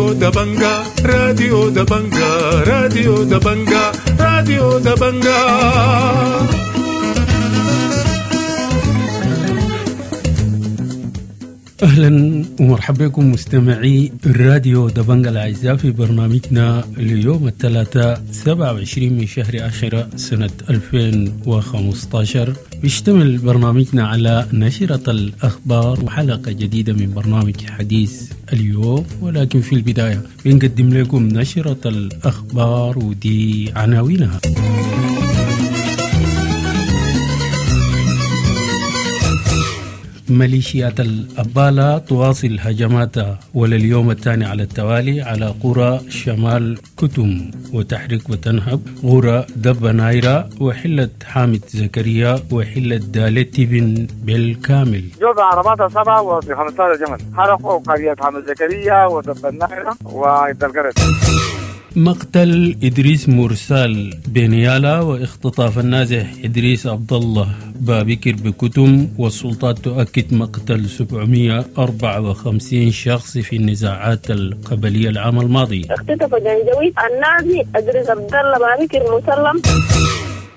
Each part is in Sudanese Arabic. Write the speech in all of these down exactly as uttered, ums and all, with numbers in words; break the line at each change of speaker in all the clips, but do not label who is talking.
راديو دبنجا راديو دبنجا راديو دبنجا راديو دبنجا.
أهلا ومرحبا بكم مستمعي الراديو دبنجا الأعزاء في برنامجنا اليوم الثلاثاء سبعة وعشرين من شهر عشرة سنة ألفين وخمسة عشر. بيشتمل برنامجنا على نشرة الأخبار وحلقة جديدة من برنامج حديث اليوم، ولكن في البداية بنقدم لكم نشرة الأخبار ودي عناوينها. ميليشيات الأبالة تواصل هجماتها ولليوم الثاني على التوالي على قرى شمال كتم وتحرك وتنهب قرى دب نايرة وحلة حامد زكريا وحلة دالتي بن بالكامل.
جوز عرباتها سبعة وخمسة عشر جمل حرقوا قرية حامد زكريا ودب النايرة وإدالقرد.
مقتل إدريس مرسال بنيالا واختطاف النازح إدريس عبد الله بابكر بكتم، والسلطات تؤكد مقتل سبعمائة وأربعة وخمسين شخص في النزاعات القبلية العام الماضي.
اختطف جنجويد النازي إدريس عبد الله بابكر مسلم.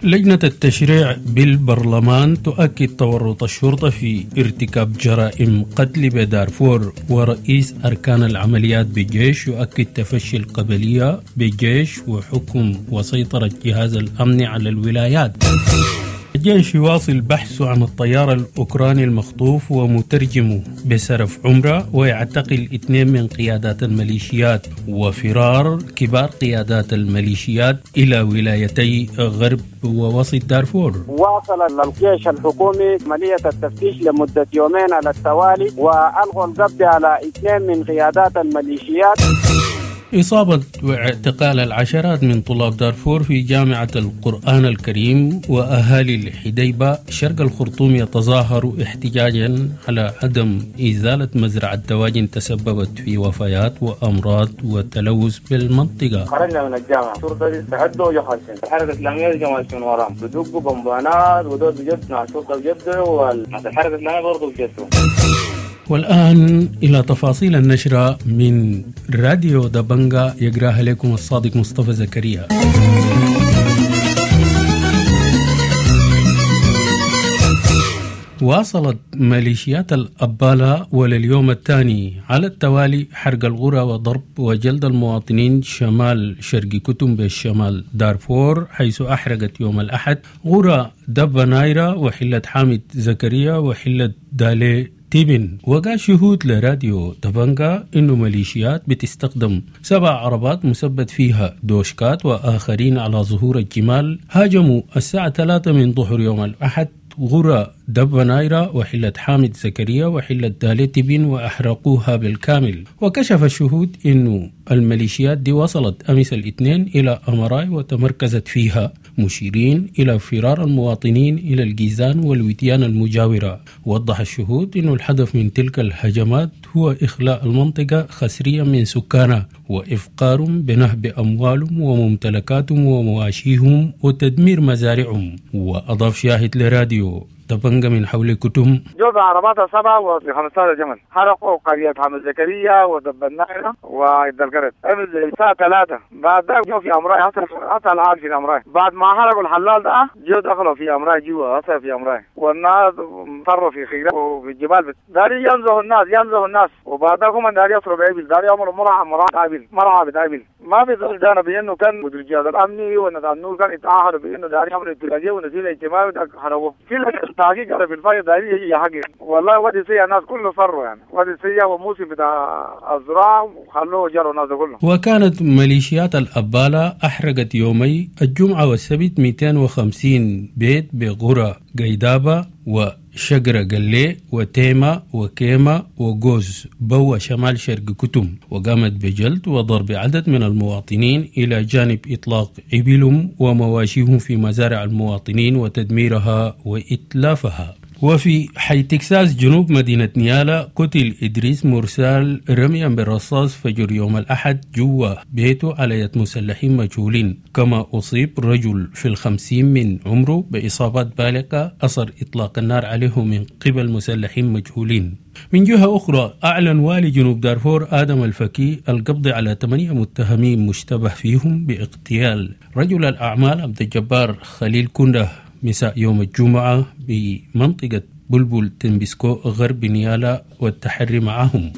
لجنة التشريع بالبرلمان تؤكد تورط الشرطة في ارتكاب جرائم قتل بدارفور، ورئيس أركان العمليات بالجيش يؤكد تفشي القبلية بالجيش وحكم وسيطرة جهاز الأمن على الولايات. الجيش يواصل بحثه عن الطيار الأوكراني المخطوف ومترجمه بسرف عمرة، ويعتقل اثنين من قيادات الميليشيات، وفرار كبار قيادات الميليشيات إلى ولايتي غرب ووسط دارفور.
واصل الجيش الحكومي عملية التفتيش لمدة يومين على التوالي، وألغوا القبض على اثنين من قيادات الميليشيات.
إصابة واعتقال العشرات من طلاب دارفور في جامعة القرآن الكريم، وأهالي الحديبة شرق الخرطوم يتظاهروا احتجاجا على عدم إزالة مزرعة دواجن تسببت في وفيات وأمراض وتلوث بالمنطقة.
خرجنا من الجامعة الشرطة دي تهدوا وجحسن الحركة الإسلامية جماعة من وراهم بدقوا بمبانات ودول بجد مع الشرطة بجد والحركة الإسلامية برضو بجدوا.
والآن إلى تفاصيل النشرة من راديو دبنجا يقراها لكم الصادق مصطفى زكريا. واصلت ميليشيات الأبالة ولليوم الثاني على التوالي حرق القرى وضرب وجلد المواطنين شمال شرق كتم بالشمال دارفور، حيث أحرقت يوم الأحد قرى دب نايرة وحلة حامد زكريا وحلة دالي تيبن. وقال شهود لراديو دبنجا إنه ميليشيات بتستخدم سبع عربات مثبت فيها دوشكات وآخرين على ظهور الجمال هاجموا الساعة ثلاثة من ظهر يوم الأحد غرى دب نايرة وحلة حامد زكريا وحلة دالتبين وأحرقوها بالكامل. وكشف الشهود إنه الميليشيات دي وصلت أمس الاثنين إلى أمراي وتمركزت فيها، مشيرين إلى فرار المواطنين إلى الجيزان والوديان المجاورة. وضح الشهود إنه الهدف من تلك الهجمات هو إخلاء المنطقة خسريا من سكانها وإفقارهم بنهب أموالهم وممتلكاتهم ومواشيهم وتدمير مزارعهم. وأضاف شاهد لراديو دبنجا من حول كتم
جوز عرباتها سبعة وخمسة عشر جمل حرقوا قرية حامد زكريا ودب النايرة وإدالقرد الساعة ثلاثة. بعد ذلك جو في أمراي حتى الآن في أمراي، بعد ما حرقوا الحلال ده جو دخلوا في أمراي جوا حتى في أمراي، والناس فروا في خيرة وفي الجبال داري ينزهوا الناس ينزهوا الناس وبعد ذلك هم داري يصروا بأبل داري يعملوا مرعى مرعى أبل مرعى بأبل. ما في زول جانا بأنه كان مدير الجهاز الأمني والناس كان يتعاهدوا بأنه داري يعملوا اتفاقية ونزيل اجتماعي حرقوه في التحقيق على في الفاية داري يحقق. والله وادي سيا الناس كله فروا يعني وادي سيا وموسم بتاع الزراعة وخلوه جروا الناس كله.
وكانت ميليشيات الأبالة أحرقت يومي الجمعة والسبت مئتين وخمسين بيت بقرى قيدابة وشجرة قلي وتيمة وكيمة وجوز بوا شمال شرق كتم، وقامت بجلد وضرب عدد من المواطنين إلى جانب إطلاق إبلهم ومواشيهم في مزارع المواطنين وتدميرها وإتلافها. وفي حي تكساس جنوب مدينة نيالا قتل إدريس مرسال رميا بالرصاص فجر يوم الأحد جوا بيته على يد مسلحين مجهولين، كما أصيب رجل في الخمسين من عمره بإصابات بالغة أثر إطلاق النار عليه من قبل مسلحين مجهولين. من جهة أخرى أعلن والي جنوب دارفور آدم الفكي القبض على ثمانية متهمين مشتبه فيهم باغتيال رجل الأعمال عبد الجبار خليل كنده مساء يوم الجمعة بمنطقة بلبل تنبسكو غرب نيالا والتحري معهم.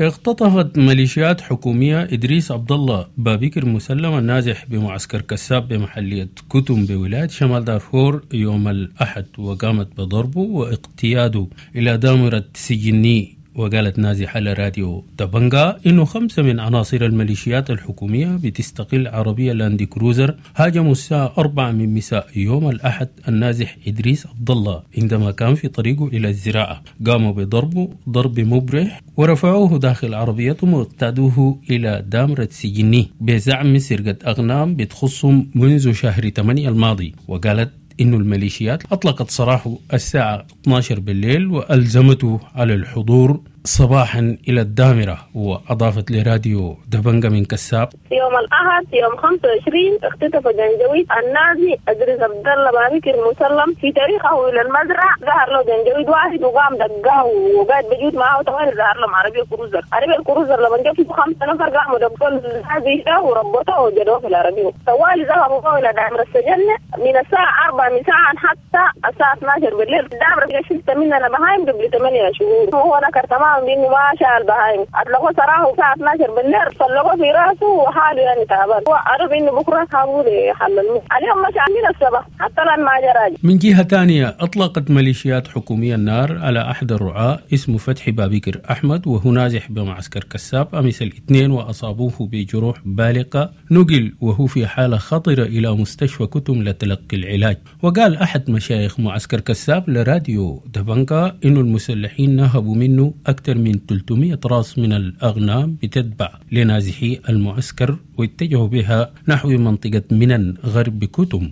اختطفت ميليشيات حكومية إدريس عبد الله بابكر مسلم النازح بمعسكر كساب بمحلية كتم بولاية شمال دارفور يوم الأحد، وقامت بضربه واقتياده إلى دامرة سجني. وقالت نازحة لراديو دبنجا إنه خمسة من عناصر الميليشيات الحكومية بتستقل عربية لاندي كروزر هاجموا الساعة أربعة من مساء يوم الأحد النازح إدريس عبد الله عندما كان في طريقه إلى الزراعة، قاموا بضربه ضرب مبرح ورفعوه داخل عربيتهم واقتادوه إلى دامرة سجني بزعم سرقة أغنام بتخصهم منذ شهر ثمانية الماضي. وقالت إنه الميليشيات أطلقت سراحه الساعة اثنا عشر بالليل وألزمته على الحضور صباحا إلى الدامرة. وأضافت لراديو دبنجا من كساب:
يوم الأحد يوم خمسة وعشرين اختطف جنجويد النازي إدريس عبد الله بابكر مسلم في طريقه إلى المزرعة، ظهر له جنجويد واحد وقام دقاه وقاعد بجود معه طوال، ظهر لهم عربية كروزر، عربية الكروزر لما جاب فيه خمسة نفر قاموا دقوا النازي ده وربطوه وجدوه في العربية، طوال ذهبوا إلى دامرة السجن من الساعة أربعة مساء حتى الساعة اثنا عشر بالليل. الدامرة شلت مننا بهايم قبل ثمانية شهور وهو نكر تمام انه ما شال بهايم، اطلقوا سراحه الساعة اثنا عشر بالليل، طلقوه في راسه وحاله يعني تعبان، وعرف انه بكره حاولوا يحللوه اليوم مش عاملين الصباح حتى الان ما جرى.
من جهة ثانية اطلقت ميليشيات حكومية النار على احد الرعاة اسمه فتحي بابكر احمد وهو نازح بمعسكر كساب امس الاثنين واصابوه بجروح بالغة، نقل وهو في حاله خطره الى مستشفى كتم لتلقي العلاج. وقال احد مشايخ معسكر كساب لراديو دبنكا انه المسلحين نهبوا منه أكثر من ثلاثمئة راس من الأغنام بتتبع لنازحي المعسكر واتجهوا بها نحو منطقة منن غرب كتم.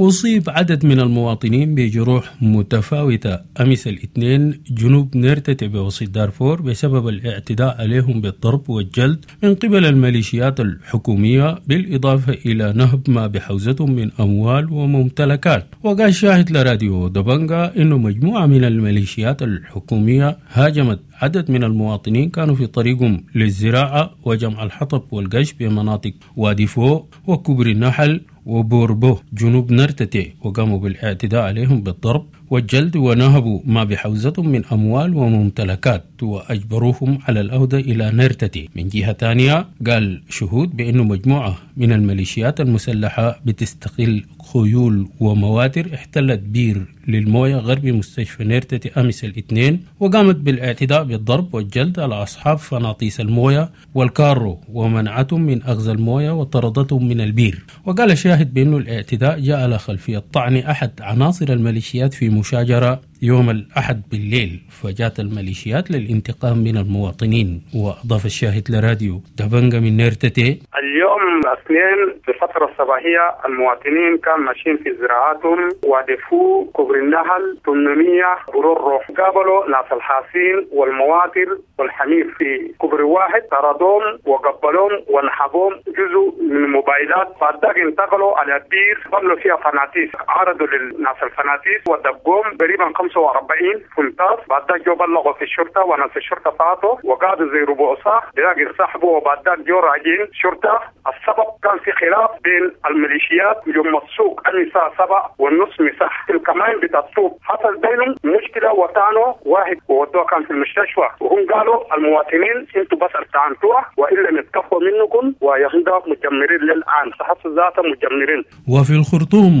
أصيب عدد من المواطنين بجروح متفاوتة أمس الاثنين جنوب نيرتتي بوسط دارفور بسبب الاعتداء عليهم بالضرب والجلد من قبل الميليشيات الحكومية، بالإضافة إلى نهب ما بحوزتهم من أموال وممتلكات. وقال شاهد لراديو دبنجا إنه مجموعة من الميليشيات الحكومية هاجمت عدد من المواطنين كانوا في طريقهم للزراعة وجمع الحطب والقش بمناطق وادي فو وكبر النحل وبوربو جنوب نرتتي، وقاموا بالاعتداء عليهم بالضرب والجلد ونهبوا ما بحوزتهم من أموال وممتلكات وأجبروهم على العودة إلى نرتتي. من جهة ثانية قال شهود بأنه مجموعة من الميليشيات المسلحة بتستغل خيول ومواتر احتلت بير للموية غرب مستشفى نرتتي أمس الاثنين، وقامت بالاعتداء بالضرب والجلد على أصحاب فناطيس الموية والكارو ومنعتهم من أخذ الموية وطردتهم من البير. وقال شاهد بأنه الاعتداء جاء على خلفية طعن أحد عناصر الميليشيات في مشاجرة يوم الأحد بالليل، فجاءت الميليشيات للانتقام من المواطنين. وأضاف الشاهد لراديو دبنجا من نيرتتي:
اليوم الاثنين في الفترة الصباحية المواطنين كانوا ماشيين في زراعاتهم ودفوا كبر النهل ثمانمئة برور، قابلوا ناس الحاسين والمواتر والحمير في كبر واحد، طردوهم وقبلوهم ونحبوهم جزء من الموبايلات. بعد ذلك انتقلوا على بير بملوا فيها فناتيس، عرضوا للناس الفناتيس ودقوهم تقريبا خمسة وأربعين فنتاس. بعد ذلك جو بلغوا في الشرطة وناس الشرطة فاتوا وقعدوا زي ربع ساعة بلاقي انسحبوا، وبعد ذلك جو راجعين شرطة. السبب كان في خلاف بين الميليشيات يوم السوق الساعة سبعة والنص مساح في الكمان بتاع السوق، حصل بينهم مشكلة وطعنوا واحد وودوه كان في المستشفى، وهم قالوا المواطنين انتوا بس ارتعنتوها والا نتكفوا منكم، ويهندا مجمرين للآن حصل ذاته مجمرين.
وفي الخرطوم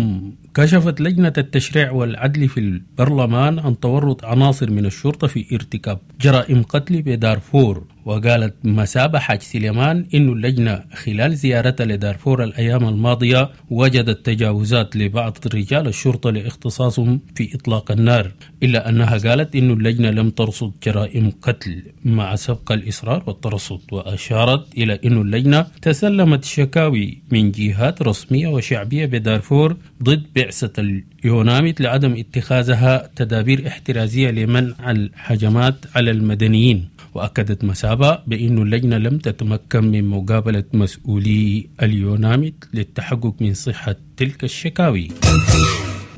كشفت لجنة التشريع والعدل في البرلمان عن تورط عناصر من الشرطة في ارتكاب جرائم قتل بدارفور. وقالت مسابة حاج سليمان إن اللجنة خلال زيارتها لدارفور الأيام الماضية وجدت تجاوزات لبعض رجال الشرطة لاختصاصهم في إطلاق النار، إلا أنها قالت إن اللجنة لم ترصد جرائم قتل مع سبق الإصرار والترصد. وأشارت إلى أن اللجنة تسلمت شكاوي من جهات رسمية وشعبية بدارفور ضد بعثة يوناميد لعدم اتخاذها تدابير احترازية لمنع الهجمات على المدنيين. وأكدت مسابة بأن اللجنة لم تتمكن من مقابلة مسؤولي اليوناميد للتحقق من صحة تلك الشكاوي.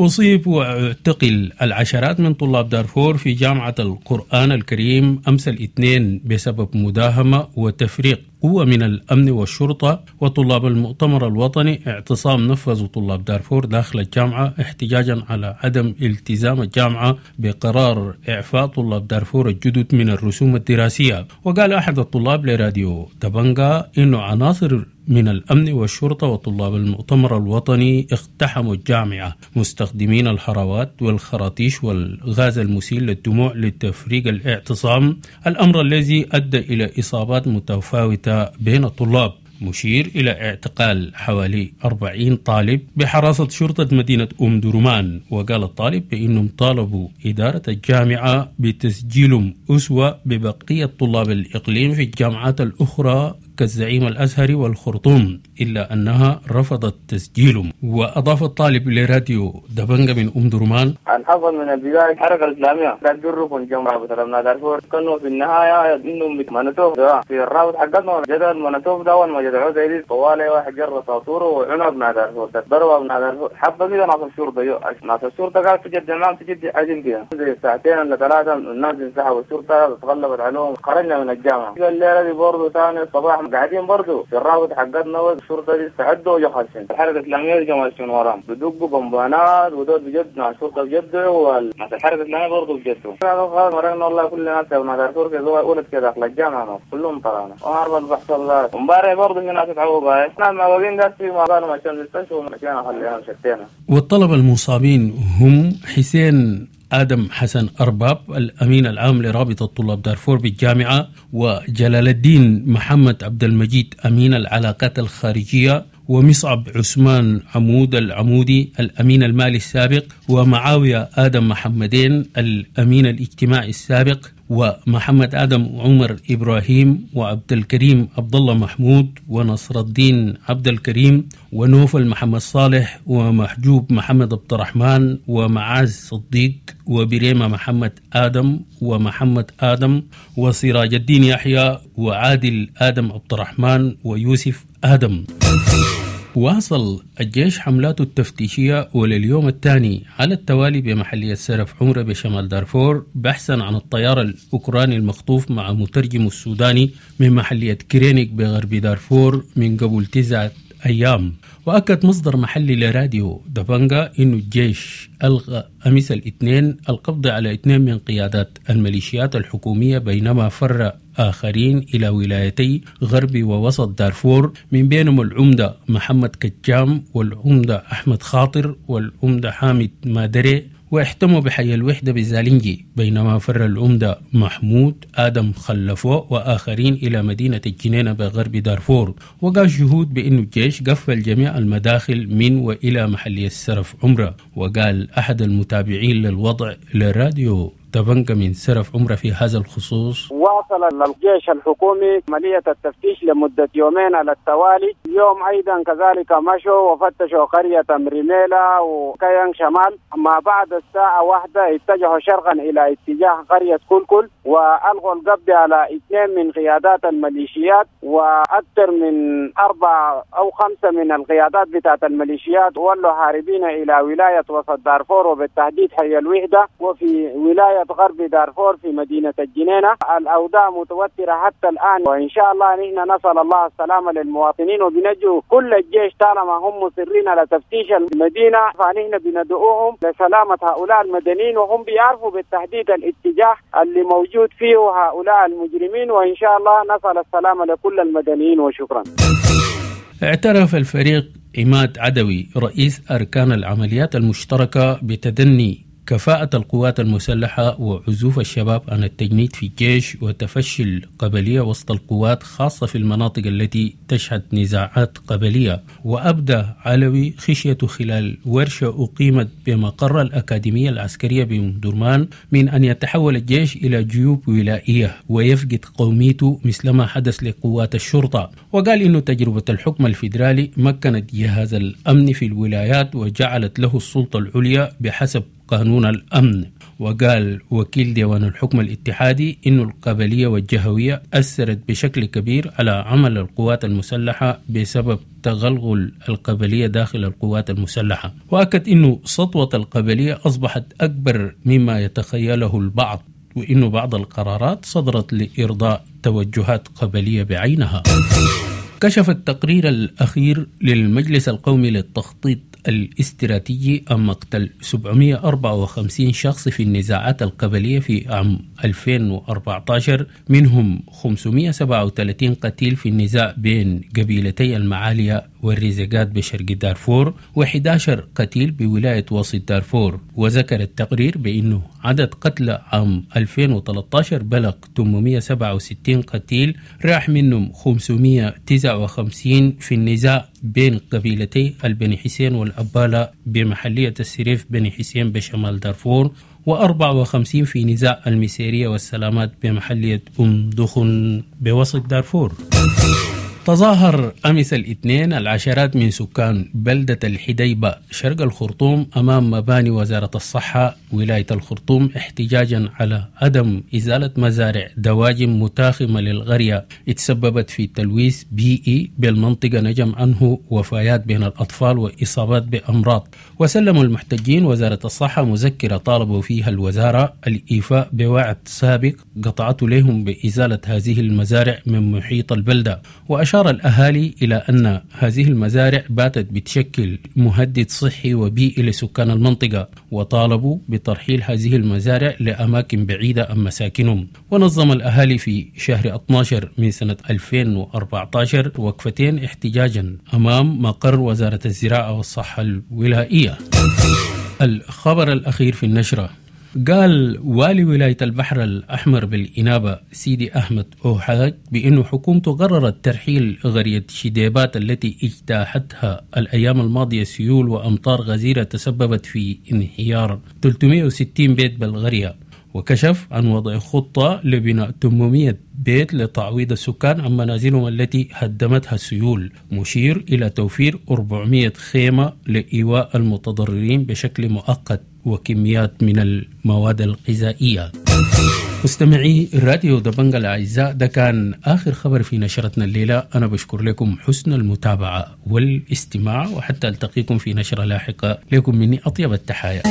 أصيب واعتقل العشرات من طلاب دارفور في جامعة القرآن الكريم أمس الاثنين بسبب مداهمة وتفريق قوة من الأمن والشرطة وطلاب المؤتمر الوطني. اعتصام نفذ طلاب دارفور داخل الجامعة احتجاجا على عدم التزام الجامعة بقرار إعفاء طلاب دارفور الجدد من الرسوم الدراسية. وقال أحد الطلاب لراديو دبنجا إنه عناصر من الأمن والشرطة وطلاب المؤتمر الوطني اقتحموا الجامعة مستخدمين الهراوات والخراطيش والغاز المسيل للدموع لتفريق الاعتصام، الأمر الذي أدى إلى إصابات متفاوتة بين الطلاب، مشير إلى اعتقال حوالي أربعين طالب بحراسة شرطة مدينة أم درمان. وقال الطالب بأنهم طالبوا إدارة الجامعة بتسجيلهم أسوة ببقية طلاب الإقليم في الجامعات الأخرى كالزعيم الأزهري والخرطوم، إلا أنها رفضت تسجيلهم. وأضاف الطالب لراديو دبنجة من أم درمان:
الحصل من البداية الحركة الإسلامية كانت جركم جمعة بتلمنا دارفور، كانوا في النهاية إنهم منتوف في الرابط حقتنا جدل منتوف ده أول ما جدعوه زي دي طوالي واحد جر ساطوره وعنب مع دارفور ضربوا مع دارفور حبة كده. ناس الشرطة ناس الشرطة قالت تجد معهم تجد عجل كده زي ساعتين ولا ثلاثة الناس انسحبوا، الشرطة تغلبت عليهم خرجنا من الجامعة. الليلة دي برضه ثاني الصباح قاعدين برضه في الرابط حقتنا والشرطة دي استعدوا وجو خاشين الحركة الإسلامية جو ماشيين وراهم بدقوا بمبانات ودول بجد مع الشرطة بجدوا والناس الحركة الإسلامية برضه بجدوا. خلاص مرقنا والله كل الناس مع دارفور كده ولد كده داخل الجامعة كلهم طلعنا وما عارف بحصل ذا. امبارح برضه في ناس اتعوقوا ناس معوقين ده في ما قالوا مشان المستشفى ومشينا خلينا مشتينا.
والطلبة المصابين هم حسين آدم حسن أرباب الأمين العام لرابطة طلاب دارفور بالجامعة، وجلال الدين محمد عبد المجيد أمين العلاقات الخارجية، ومصعب عثمان عمود العمودي الأمين المالي السابق، ومعاوية آدم محمدين الأمين الاجتماعي السابق، ومحمد آدم عمر إبراهيم، وعبد الكريم عبد الله محمود، ونصر الدين عبد الكريم، ونوفل محمد صالح، ومحجوب محمد عبد الرحمن، ومعاذ صديق، وبريمة محمد آدم، ومحمد آدم، وسراج الدين يحيى، وعادل آدم عبد الرحمن، ويوسف آدم. واصل الجيش حملاته التفتيشية ولليوم الثاني على التوالي بمحلية سرف عمرة بشمال دارفور بحثا عن الطيار الأوكراني المخطوف مع مترجم السوداني من محلية كرينيك بغرب دارفور من قبل تسعة أيام. وأكد مصدر محلي لراديو دبنجا إنه الجيش ألغى أمس الاثنين القبض على اثنين من قيادات الميليشيات الحكومية، بينما فر آخرين إلى ولايتي غرب ووسط دارفور، من بينهم العمدة محمد كجام، والعمدة أحمد خاطر، والعمدة حامد مادري، واحتموا بحي الوحدة بزالنجي، بينما فر العمدة محمود آدم خلفو وآخرين إلى مدينة الجنينة بغرب دارفور. وقال شهود بأن الجيش قفل جميع المداخل من وإلى محلية السرف عمرة. وقال أحد المتابعين للوضع لراديو دبنجا من سرف عمرة في هذا الخصوص:
واصل الجيش الحكومي عملية التفتيش لمدة يومين على التوالي. اليوم أيضا كذلك مشوا وفتشوا قرية مريميلا وكيان شمال. ما بعد الساعة واحدة اتجهوا شرقا إلى اتجاه قرية كلكل وألغوا القبض على اثنين من قيادات الميليشيات، وأكثر من أربع أو خمسة من القيادات بتاعت الميليشيات ولوا هاربين إلى ولاية وسط دارفور وبالتحديد حي الوحدة، وفي ولاية غرب دارفور في مدينة الجنينة. الأوضاع متوترة حتى الآن، وإن شاء الله نحن نسأل الله السلامة للمواطنين وبنجو كل الجيش طالما هم مصرين على تفتيش المدينة، فنحن بندعوهم لسلامة هؤلاء المدنيين، وهم بيعرفوا بالتحديد الاتجاه اللي موجود فيه هؤلاء المجرمين، وإن شاء الله نسأل السلامة لكل المدنيين وشكرا.
اعترف الفريق عماد عدوي رئيس أركان العمليات المشتركة بتدني كفاءة القوات المسلحة وعزوف الشباب عن التجنيد في الجيش وتفشي القبلية وسط القوات، خاصة في المناطق التي تشهد نزاعات قبلية. وأبدى علوي خشيته خلال ورشة أقيمت بمقر الأكاديمية العسكرية بأم من أن يتحول الجيش إلى جيوب ولائية ويفقد قوميته مثلما حدث لقوات الشرطة. وقال إنه تجربة الحكم الفيدرالي مكنت جهاز الأمن في الولايات وجعلت له السلطة العليا بحسب قانون الأمن. وقال وكيل ديوان الحكم الاتحادي إن القبلية والجهوية أثرت بشكل كبير على عمل القوات المسلحة بسبب تغلغل القبلية داخل القوات المسلحة. وأكد إنه سطوة القبلية أصبحت أكبر مما يتخيله البعض، وإنه بعض القرارات صدرت لإرضاء توجهات قبلية بعينها. كشف التقرير الأخير للمجلس القومي للتخطيط الاستراتيجي عن مقتل سبعمئة وأربعة وخمسين شخص في النزاعات القبلية في عام ألفين وأربعة عشر، منهم خمسمئة وسبعة وثلاثين قتيل في النزاع بين قبيلتي المعالية والرزقات بشرق دارفور، وأحد عشر قتيل بولاية وسط دارفور. وذكر التقرير بأنه عدد قتلى عام ألفين وثلاثة عشر بلغ ثمانمئة وسبعة وستين قتيل، راح منهم خمسمئة وتسعة وخمسين في النزاع بين قبيلتي البني حسين والأبالة بمحلية السريف بني حسين بشمال دارفور، وأربعة وخمسين في نزاع المسيرية والسلامات بمحلية أم دخن بوسط دارفور. تظاهر أمس الاثنين العشرات من سكان بلدة الحديبة شرق الخرطوم أمام مباني وزارة الصحة ولاية الخرطوم احتجاجا على عدم إزالة مزارع دواجن متاخمة للقرية اتسببت في تلويث بيئي بالمنطقة نجم عنه وفيات بين الأطفال وإصابات بأمراض. وسلموا المحتجين وزارة الصحة مذكرة طالبوا فيها الوزارة الإيفاء بوعد سابق قطعته لهم بإزالة هذه المزارع من محيط البلدة. وأشار الأهالي إلى أن هذه المزارع باتت بتشكل مهدد صحي وبيئي لسكان المنطقة، وطالبوا بترحيل هذه المزارع لأماكن بعيدة عن مساكنهم. ونظم الأهالي في شهر اثني عشر من سنة ألفين وأربعة عشر وقفتين احتجاجا أمام مقر وزارة الزراعة والصحة الولائية. الخبر الأخير في النشرة: قال والي ولاية البحر الأحمر بالإنابة سيدي أحمد أوحاج بأن حكومته قررت ترحيل قرية شديبات التي اجتاحتها الأيام الماضية سيول وأمطار غزيرة تسببت في انهيار ثلاثمئة وستين بيت بالقرية. وكشف عن وضع خطة لبناء ثمانمئة بيت لتعويض السكان عن منازلهم التي هدمتها السيول، مشير إلى توفير أربعمئة خيمة لإيواء المتضررين بشكل مؤقت وكميات من المواد الغذائية. مستمعي راديو دبنجا الأعزاء، ده كان آخر خبر في نشرتنا الليلة. أنا بشكر لكم حسن المتابعة والاستماع، وحتى ألتقيكم في نشرة لاحقة. لكم مني أطيب التحايا.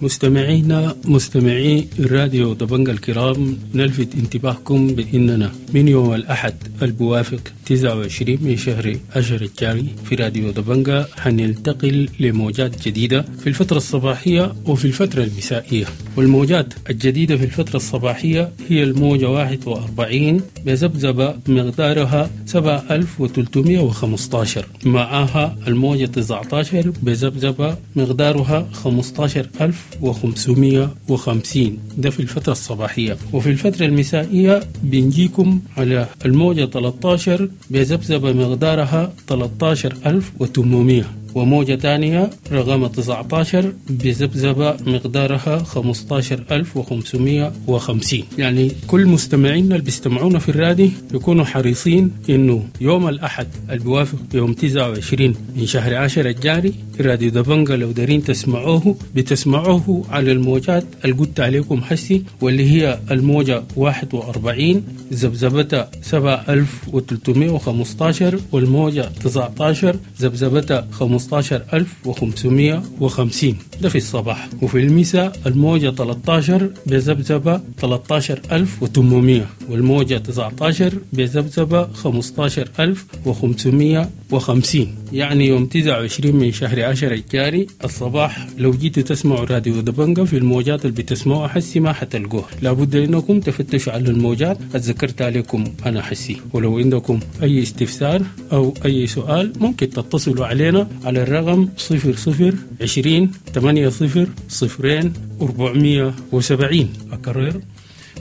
مستمعينا مستمعي الراديو دبنجا الكرام، نلفت انتباهكم بأننا من يوم الأحد البوافق تسعة وعشرين من شهر أشهر الجاري في راديو دبنجا حننتقل لموجات جديدة في الفترة الصباحية وفي الفترة المسائية. والموجات الجديدة في الفترة الصباحية هي الموجة واحد وأربعين بذبذبة مقدارها سبعة آلاف وثلاثمئة وخمسة عشر، معها الموجة تسعة عشر بذبذبة مقدارها خمسة عشر ألف وخمسمئة وخمسين، ده في الفترة الصباحية. وفي الفترة المسائية بنجيكم على الموجة ثلاثة عشر بذبذبة مقدارها ثلاثة عشر ألف وثمانمئة، وموجة تانية رقم تسعة عشر بذبذبة مقدارها خمسة عشر ألف وخمسمئة وخمسين. يعني كل مستمعينا اللي بيستمعونا في الرادي يكونوا حريصين إنه يوم الأحد البوافق يوم تسعة وعشرين من شهر عشرة الجاري راديو دبنجا لو دارين تسمعوه بتسمعوه على الموجات اللي قلت عليكم حسي، واللي هي الموجة واحد وأربعين ذبذبتها سبعة آلاف وثلاثمئة وخمسة عشر، والموجة تسعة عشر ذبذبتها خمسة عشر ألف وخمسمئة وخمسين. ده في الصباح، وفي المساء الموجة ثلاثة عشر بذبذبة ثلاثة عشر ألف وثمانمية، والموجة تسعة عشر بذبذبة خمسة عشر ألف وخمسمية وخمسين. يعني يوم تسعة وعشرين من شهر عشرة الجاري الصباح لو جيتوا تسمعوا راديو دبنجة في الموجات اللي بتسمعوها حسي ما حتلقوها، لابد انكم تفتشوا على الموجات اتذكرت عليكم انا حسي. ولو عندكم اي استفسار او اي سؤال ممكن تتصلوا علينا على الرقم صفر صفر عشرين ثمانية صفر صفرين أربعمية وسبعين. أكرر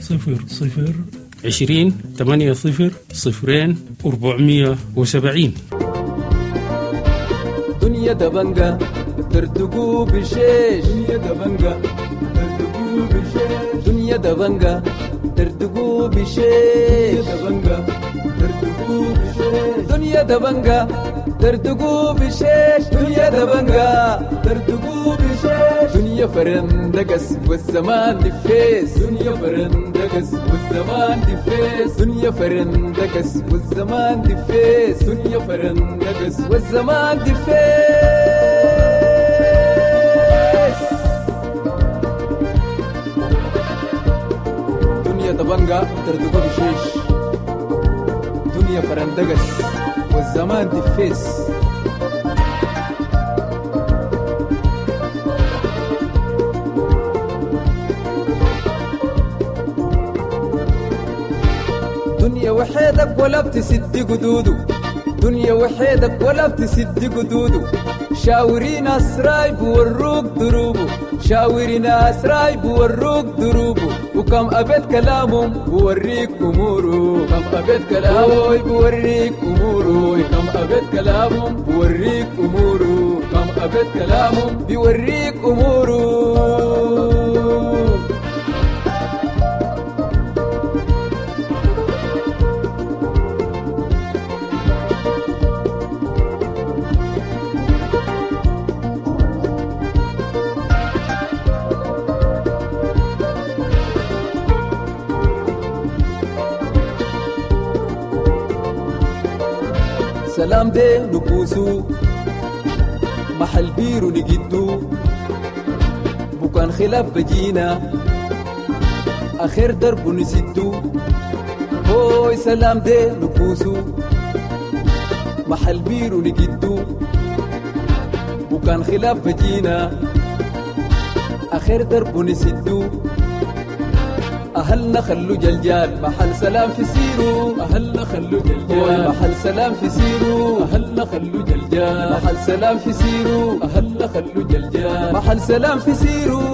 صفر صفر عشرين ثمانية صفر صفرين أربعمية وسبعين.
دنيا دبنجة تردقوا بشيش، دنيا دبنجة تردقوا بشيش، دنيا دبنجة تردقوا بشيش، دبنجة تردقوا بشيش، دنيا دبنجة تردقوا بشيش، دنيا دبنجة تردقوا بشيش، دنيا فرندقس والزمان دفيس، دنيا فرندقس والزمان دفيس، دنيا فرندقس والزمان دفيس، دنيا فرندقس والزمان دفيس. دنيا دبنجة تردقوا بشيش، دنيا فرندقس والزمان دفيس. دنيا وحيدك ولا بتسد قدوده، دنيا وحيدك ولا بتسد قدوده، شاوري ناس رايب وروك دروبه، شاوري ناس رايب وروك دروبه، وكم أبيت كلامهم بوريك أموره، كم أبيت كلامهم بوريك أموره، كم أبيت كلامهم بوريك أموره، كم أبيت كلامهم بيوريك أموره. سلام دي نكوسو محل بيرو نجدو، بكان خلاف بجينا آخر درب نسدو، هوي سلام دي نكوسو محل بيرو نجدو، بكان خلاف بجينا آخر درب نسدو، أهلنا خلو جلجال محل سلام في سيرو، أهلنا خلو جلجال محل سلام في سيرو، أهلنا خلو جلجال محل سلام في سيرو، أهلنا خلو جلجال محل سلام في سيرو.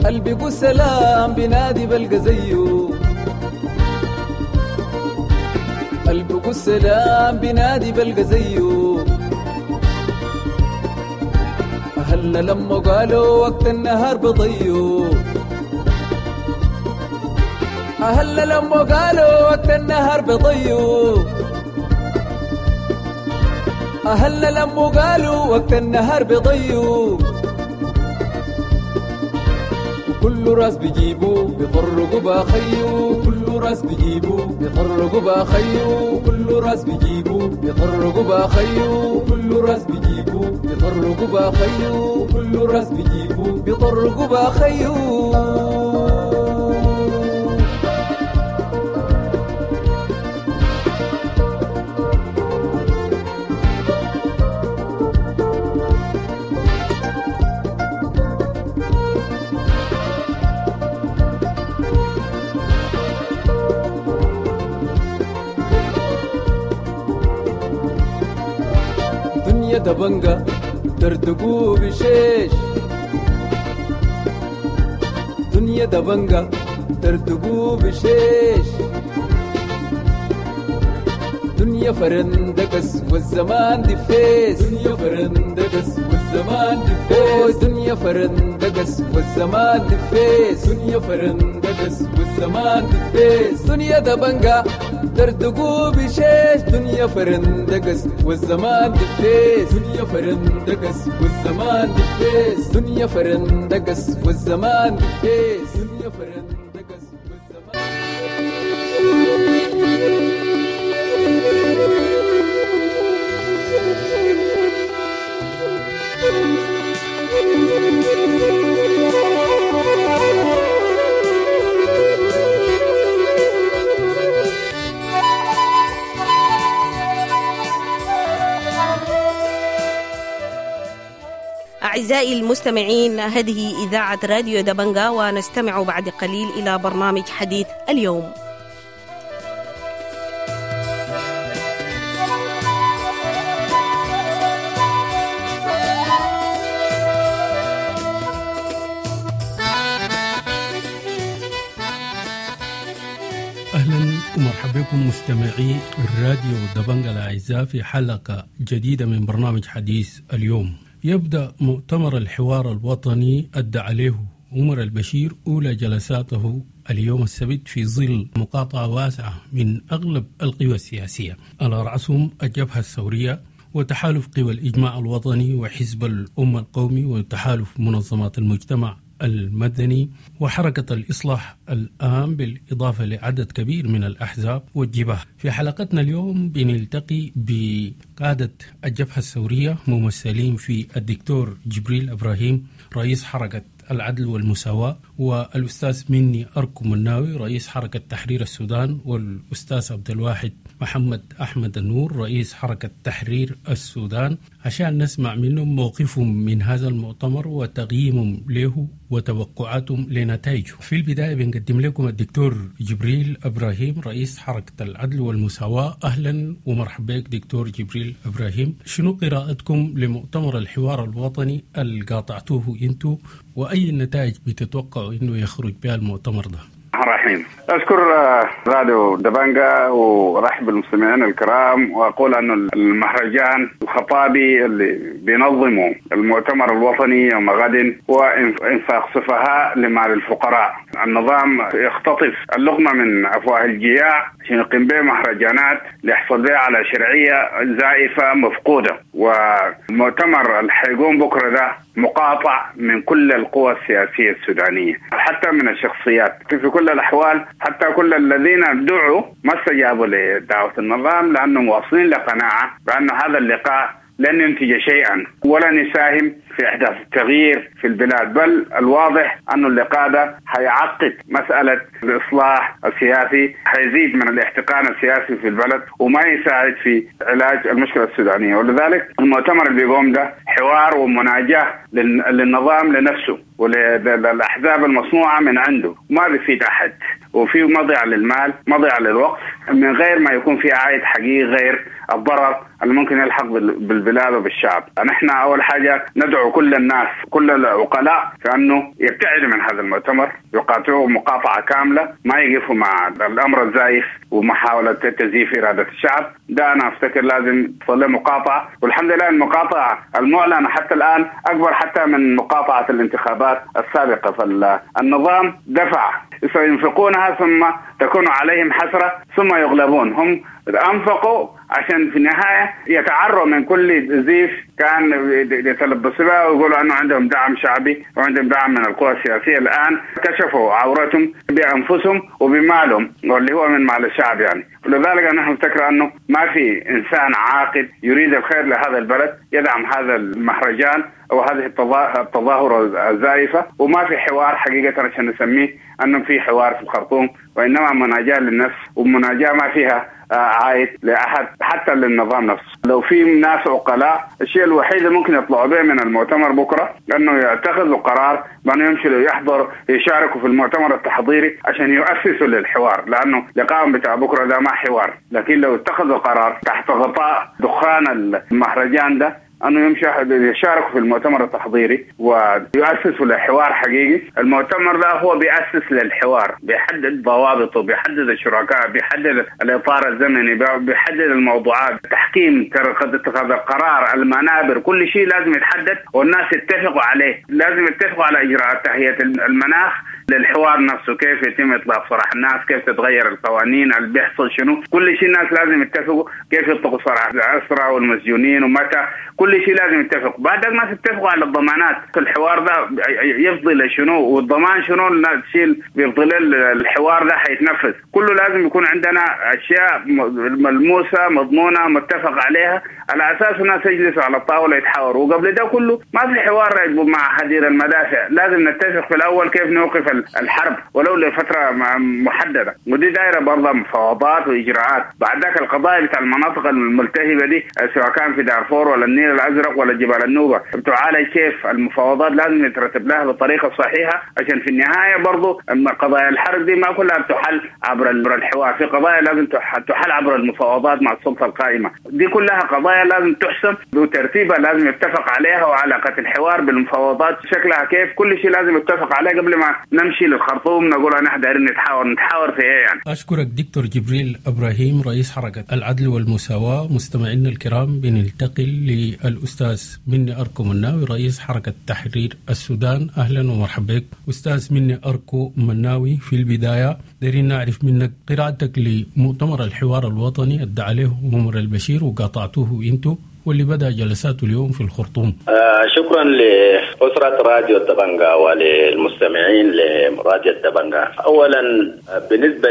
قلبي سلام بنادي بلقى زيه، قلبي سلام بنادي بلقى زيه، أهلنا لما قالوا وقت النهار بضيو، أهلنا لما قالوا وقت النهار بضيو، أهلنا لما قالوا وقت النهار بضيو، كل راس بيجيبو بيطرقوا باخيو، كل راس بيجيبو بيطرقوا باخيو، كل راس بيجيبو بيطرقوا باخيو، كل راس بيجيبو بيطرقوا باخيو، كل راس بيجيبو بيطرقوا باخيو. دبنجة تردقوا بشيش، دنيا دبنجة تردقوا بشيش، دنيا فرندقس والزمان دفيس، دنيا فرندقس والزمان دفيس، دنيا فرندقس والزمان دفيس، دنيا فرندقس والزمان دفيس، دنيا دبنجا دردقو بشيش، دنيا فرندقس والزمان دفيس، دنيا فرندقس والزمان دفيس، دنيا فرندقس والزمان دفيس، دنيا فرندقس والزمان.
أعزائي المستمعين، هذه إذاعة راديو دبنجا، ونستمع بعد قليل إلى برنامج حديث اليوم.
أهلا ومرحبا بكم مستمعي الراديو دبنجا الأعزاء في حلقة جديدة من برنامج حديث اليوم. يبدأ مؤتمر الحوار الوطني أدى عليه عمر البشير أولى جلساته اليوم السبت في ظل مقاطعة واسعة من أغلب القوى السياسية، على رأسهم الجبهة الثورية وتحالف قوى الإجماع الوطني وحزب الأمة القومي وتحالف منظمات المجتمع المدني وحركة الإصلاح الآن، بالإضافة لعدد كبير من الأحزاب والجبهة. في حلقتنا اليوم بنلتقي بقادة الجبهة الثورية ممثلين في الدكتور جبريل إبراهيم رئيس حركة العدل والمساواة، والأستاذ مني أركو مناوي رئيس حركة تحرير السودان، والأستاذ عبد الواحد محمد أحمد النور رئيس حركة تحرير السودان، عشان نسمع منهم موقفهم من هذا المؤتمر وتقييمهم له وتوقعاتهم لنتائجه. في البداية بنقدم لكم الدكتور جبريل إبراهيم رئيس حركة العدل والمساواة. أهلا ومرحبا بك دكتور جبريل إبراهيم. شنو قراءتكم لمؤتمر الحوار الوطني اللي قاطعتوه انتو، وأي النتائج بتتوقعوا إنه يخرج بها المؤتمر ده؟
الرحيم. أشكر راديو دبنجا ورحب بالمستمعين الكرام، وأقول أن المهرجان الخطابي اللي بينظمه المؤتمر الوطني يوم غد هو إنفاق سفهاء لمال الفقراء. النظام يختطف اللقمة من أفواه الجياع عشان يقيم به مهرجانات ليحصل بها على شرعية زائفة مفقودة. والمؤتمر اللي حيقوم بكرة ده مقاطع من كل القوى السياسية السودانية، حتى من الشخصيات. في كل الأحوال حتى كل الذين دعوا ما استجابوا لدعوة النظام، لأنهم واصلين لقناعة بأن هذا اللقاء لن ينتج شيئا ولن يساهم في إحداث التغيير في البلاد، بل الواضح أن اللقاء ده هيعقد مسألة الإصلاح السياسي، هيزيد من الاحتقان السياسي في البلد وما يساعد في علاج المشكلة السودانية. ولذلك المؤتمر اللي بيقوم ده حوار ومناجاة للنظام لنفسه وللأحزاب المصنوعة من عنده، ما بيفيد أحد، وفيه مضيعة للمال، مضيعة للوقت، من غير ما يكون في عائد حقيقي غير الضرر اللي ممكن يلحق بالبلاد وبالشعب. نحن أول حاجة ندعو كل الناس، كل العقلاء، في أنه يبتعدوا من هذا المؤتمر، يقاطعوه مقاطعة كاملة، ما يقفوا مع الأمر الزائف ومحاولة تزييف إرادة الشعب. ده أنا أفتكر لازم تصل مقاطعة، والحمد لله المقاطعة المعلنة حتى الآن أكبر حتى من مقاطعة الانتخابات السابقة. فالنظام دفع، سينفقونها ثم تكون عليهم حسرة ثم يغلبون. هم أنفقوا عشان في النهاية يتعروا من كل زيف كان يتلبسوا بها ويقولوا أنه عندهم دعم شعبي وعندهم دعم من القوى السياسية. الآن كشفوا عورتهم بأنفسهم وبمالهم واللي هو من مال الشعب يعني. ولذلك نحن نفتكر أنه ما في إنسان عاقل يريد الخير لهذا البلد يدعم هذا المهرجان أو هذه التظاهرة الزائفة، وما في حوار حقيقة عشان نسميه أنه في حوار في الخرطوم، وإنما مناجاة للنفس، ومناجاة ما فيها عائد لأحد حتى للنظام نفسه. لو في ناس عقلاء، الشيء الوحيد اللي ممكن يطلعوا به من المؤتمر بكرة أنه يتخذوا قرار بأنه يمشوا يحضر يشاركوا في المؤتمر التحضيري عشان يؤسسوا للحوار، لأنه لقاءهم بتاع بكرة ده ما حوار. لكن لو اتخذوا قرار تحت غطاء دخان المهرجان ده،
انه يمشي يشاركوا في المؤتمر التحضيري ويؤسسوا لحوار حقيقي. المؤتمر ده هو بيأسس للحوار، بيحدد ضوابطه، بيحدد الشركاء، بيحدد الاطار الزمني، بيحدد الموضوعات، تحكيم اتخاذ القرار، المنابر، كل شيء لازم يتحدد والناس يتفقوا عليه. لازم يتفقوا على اجراءات تهيئة المناخ للحوار نفسه، كيف يتم اطلاق سراح الناس، كيف تتغير القوانين، اللي بيحصل شنو، كل شيء الناس لازم يتفقوا كيف يطلقوا سراح الاسرى والمسجونين ومتى، كل شيء لازم يتفقوا. بعد الناس يتفقوا على الضمانات، الحوار ده يفضي لشنو والضمان شنو، الناس تشيل بيفضل الحوار ده حيتنفذ. كله لازم يكون عندنا اشياء ملموسة مضمونه متفق عليها، على اساس الناس يجلسوا على الطاولة يتحاوروا. وقبل ده كله ما في حوار مع هدير المدافع، لازم نتفق في الاول كيف نوقف الحرب ولو لفترة محددة، ودي دايرة برضه مفاوضات واجراءات. بعد ذاك القضايا بتاع المناطق الملتهبه دي سواء كان في دارفور ولا النيل الازرق ولا جبال النوبة بتعالج كيف؟ المفاوضات لازم يترتب لها بالطريقة الصحيحة، عشان في النهاية برضه قضايا الحرب دي ما كلها بتحل عبر الحوار، في قضايا لازم تحل عبر المفاوضات مع السلطة القائمة. دي كلها قضايا لازم تحسم وترتيبها لازم يتفق عليها، وعلاقة الحوار بالمفاوضات شكلها كيف، كل شيء لازم يتفق عليه قبل ما نمشي للخرطوم نقول نحن دايرين نتحاور. نتحاور في ايه يعني؟
اشكرك دكتور جبريل ابراهيم رئيس حركة العدل والمساواة. مستمعينا الكرام، بنلتقي للاستاذ مني اركو مناوي رئيس حركة تحرير السودان. اهلا ومرحبا بك استاذ مني اركو مناوي. في البداية دايرين نعرف منك قراءتك لمؤتمر الحوار الوطني ادعى عليه عمر البشير وقاطعتوه انتو، واللي بدأ جلساته اليوم في الخرطوم.
آه شكرا لأسرة راديو الدبنجة وللمستمعين لراديو الدبنجة. أولا بالنسبة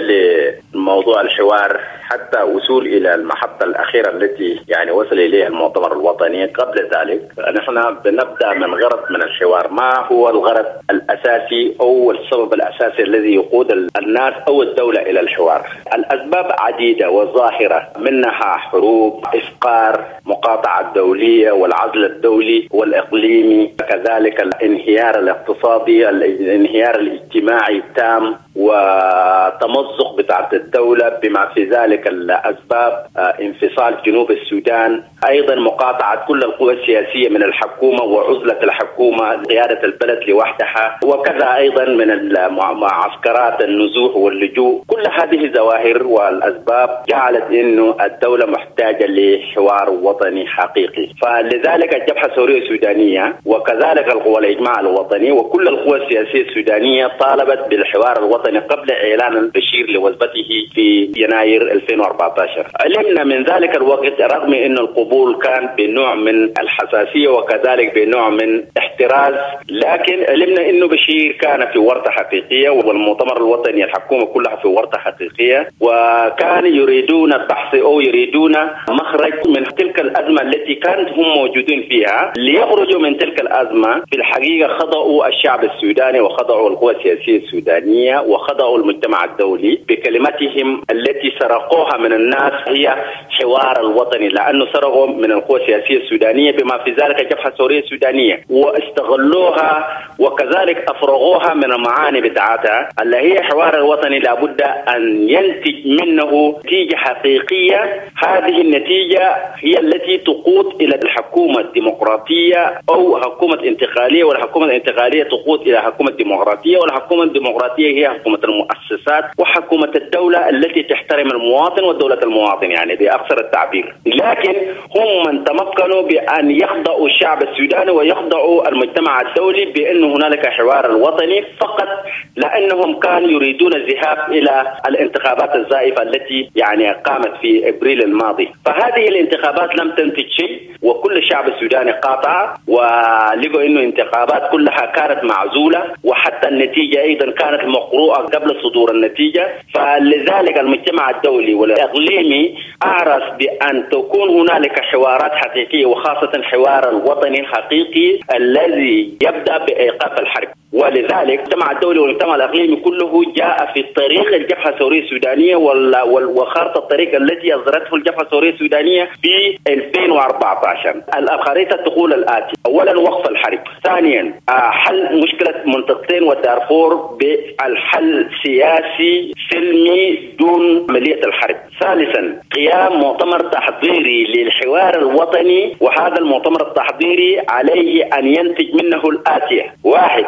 لموضوع الحوار حتى وصول إلى المحطة الأخيرة التي يعني وصل إليها المؤتمر الوطني، قبل ذلك نحن بنبدأ من غرض من الحوار. ما هو الغرض الأساسي أو السبب الأساسي الذي يقود الناس أو الدولة إلى الحوار؟ الأسباب عديدة وظاهرة، منها حروب، إفقار، مقاطعة الدولية والعزل الدولي والإقليمي، كذلك الانهيار الاقتصادي، الانهيار الاجتماعي التام، وتمزق بتاعت الدولة بما في ذلك الأسباب انفصال جنوب السودان، أيضا مقاطعة كل القوى السياسية من الحكومة وعزلة الحكومة، قيادة البلد لوحدها، وكذا أيضا من معسكرات النزوح واللجوء. كل هذه الظواهر والأسباب جعلت أنه الدولة محتاجة لحوار وطني حقيقي. فلذلك الجبهة الثورية السودانية وكذلك القوى الإجماع الوطني وكل القوى السياسية السودانية طالبت بالحوار الوطني قبل إعلان البشير لوثبته في يناير ألفين وأربعة عشر. علمنا من ذلك الوقت رغم أن القبول كان بنوع من الحساسية وكذلك بنوع من احتراز، لكن علمنا أنه بشير كان في ورطة حقيقية، والمؤتمر الوطني الحكومة كلها في ورطة حقيقية، وكان يريدون البحث أو يريدون مخرج من تلك الأزمة التي كانت هم موجودين فيها ليخرجوا من تلك الأزمة. في الحقيقة خضعوا الشعب السوداني وخضعوا القوى السياسية السودانية وخضعوا المجتمع الدولي بكلمتهم التي سرقوها من الناس، هي حوار الوطني، لأنه سرقوا من القوى السياسية السودانية بما في ذلك الجبهة الثورية السودانية واستغلوها، وكذلك أفرغوها من المعاني بتاعتها اللي هي حوار الوطني. لابد أن ينتج منه نتيجة حقيقية، هذه النتيجة هي التي تقود إلى الحكومة الديمقراطية أو حكومة انتقالية، والحكومة الانتقالية تقود إلى حكومة ديمقراطية، والحكومة الديمقراطية هي حكومة المؤسسات وحكومة الدولة التي تحترم المواطن ودولة المواطن، يعني بأقصر التعبير. لكن هم من تمكنوا بأن يخضعوا الشعب السوداني ويخضعوا المجتمع الدولي بأن هنالك حوار الوطني فقط، لأنهم كانوا يريدون الذهاب إلى الانتخابات الزائفة التي يعني قامت في أبريل الماضي. فهذه الانتخابات لم تنتج شيء، وكل الشعب السوداني قاطع ولقوا انه انتخابات كلها كانت معزولة، وحتى النتيجة ايضا كانت مقروءة قبل صدور النتيجة. فلذلك المجتمع الدولي والاقليمي اعرف بان تكون هنالك حوارات حقيقية، وخاصة الحوار الوطني الحقيقي الذي يبدأ بايقاف الحرب. ولذلك المجتمع الدولي والمجتمع الإقليمي كله جاء في طريق الجبهة الثورية السودانية وخارطة الطريق التي أصدرته الجبهة الثورية السودانية في ألفين وأربعة عشر. الخريطة تقول الآتي: أولا وقف الحرب، ثانيا حل مشكلة منطقتين ودارفور بالحل سياسي سلمي دون عملية الحرب، ثالثا قيام مؤتمر تحضيري للحوار الوطني، وهذا المؤتمر التحضيري عليه أن ينتج منه الآتية: واحد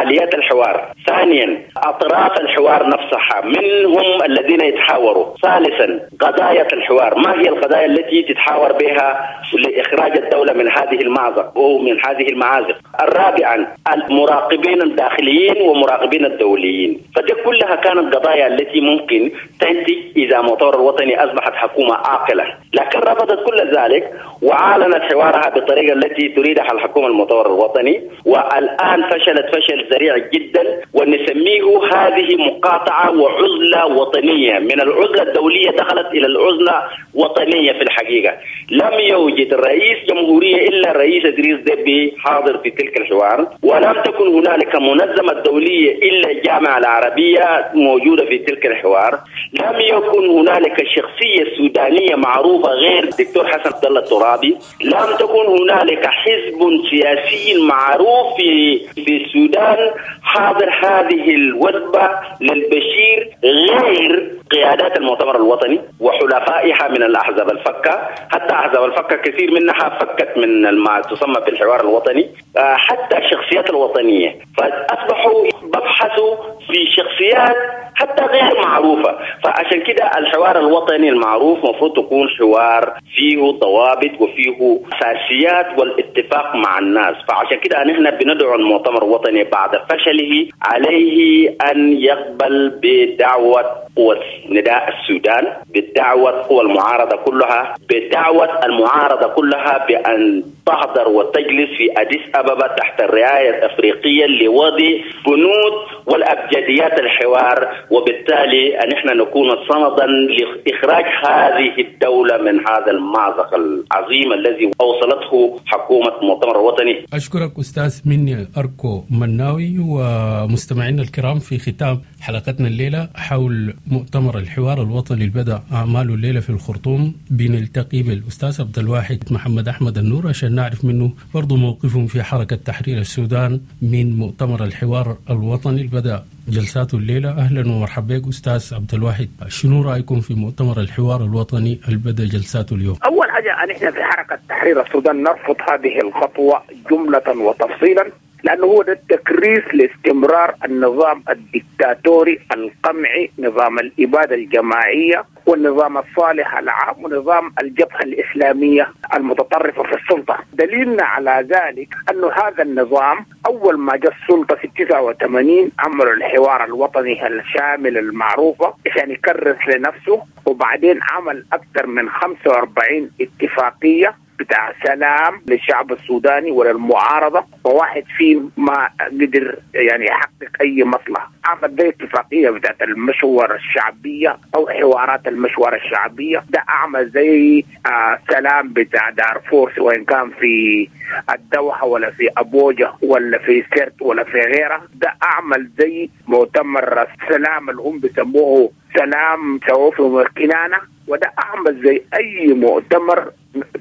آليات الحوار، ثانيا أطراف الحوار نفسها من هم الذين يتحاوروا، ثالثا قضايا الحوار، ما هي القضايا التي تتحاور بها لإخراج الدولة من هذه المأزق أو من هذه المعازق، الرابعا المراقبين الداخليين ومراقبين الدوليين. فدي كلها كانت قضايا التي ممكن تنتج إذا مؤتمر الوطني أصبحت حكومة عاقلة، لكن رفضت كل ذلك وعالنت حوارها بالطريقة التي تريدها الحكومة المؤتمر الوطني، والآن فشلت فشل ذريع جدا، ونسميه هذه مقاطعة وعزلة وطنية. من العزلة الدولية دخلت إلى العزلة وطنية. في الحقيقة لم يوجد رئيس جمهورية إلا الرئيس إدريس ديبي حاضر في تلك الحوار، ولم تكن هنالك منظمة دولية إلا الجامعة العربية موجودة في تلك الحوار، لم يكن هنالك شخصية سودانية معروفة غير الدكتور حسن عبد الله الترابي، لم تكن هنالك حزب سياسي معروف في في السودان حاضر هذه الوثبة للبشير غير قيادات المؤتمر الوطني وحلفائها من الأحزاب الفكة. حتى أحزاب الفكة كثير منها فكت من ما تسمى بالحوار الوطني، حتى الشخصيات الوطنية، فأصبحوا ببحثوا في شخصيات حتى غير معروفة. فعشان كده الحوار الوطني المعروف مفروض تكون حوار فيه ضوابط وفيه أساسيات والاتفاق مع الناس. فعشان كده نحن بندعو المؤتمر الوطني بعد فشله عليه أن يقبل بدعوة قوة نداء السودان، بدعوة قوى المعارضة كلها، بدعوة المعارضة كلها بأن تحضر وتجلس في أديس أبابا تحت الرعاية الأفريقية لوضع بنود والأبجديات الحوار، وبالتالي نحن نكون صمدا لإخراج هذه الدولة من هذا المأزق العظيم الذي أوصلته حكومة المؤتمر الوطني.
أشكرك أستاذ مني أركو مناوي. ومستمعينا الكرام، في ختام حلقتنا الليلة حول مؤتمر الحوار الوطني اللي بدأ أعماله الليلة في الخرطوم، بنلتقي بالأستاذ عبد الواحد محمد أحمد النور عشان نعرف منه برضو موقفهم في حركة تحرير السودان من مؤتمر الحوار الوطني اللي بدأ جلساته الليلة. أهلا ومرحبا بك أستاذ عبد الواحد، شنو رأيكم في مؤتمر الحوار الوطني اللي بدأ جلساته اليوم؟
أول حاجة نحن في حركة تحرير السودان نرفض هذه الخطوة جملة وتفصيلا، لأنه هو ده التكريس لاستمرار النظام الدكتاتوري القمعي، نظام الإبادة الجماعية والنظام الصالح العام ونظام الجبهة الإسلامية المتطرفة في السلطة. دليلنا على ذلك أن هذا النظام أول ما جاء السلطة في تسعة وثمانين عملوا الحوار الوطني الشامل المعروفة عشان يكرس لنفسه، وبعدين عمل أكثر من خمسة وأربعين اتفاقية بتاع سلام للشعب السوداني وللمعارضة، وواحد فيه ما قدر يعني يحقق أي مصلحة. عمل ده اتفاقية بتاعت المشورة الشعبية أو حوارات المشورة الشعبية، ده أعمل زي آه سلام بتاع دارفور سواء كان في الدوحة ولا في أبوجة ولا في سرت ولا في غيرها. ده أعمل زي مؤتمر السلام اللي هم بيسموه سلام سوف وكنانة، وده أعمل زي أي مؤتمر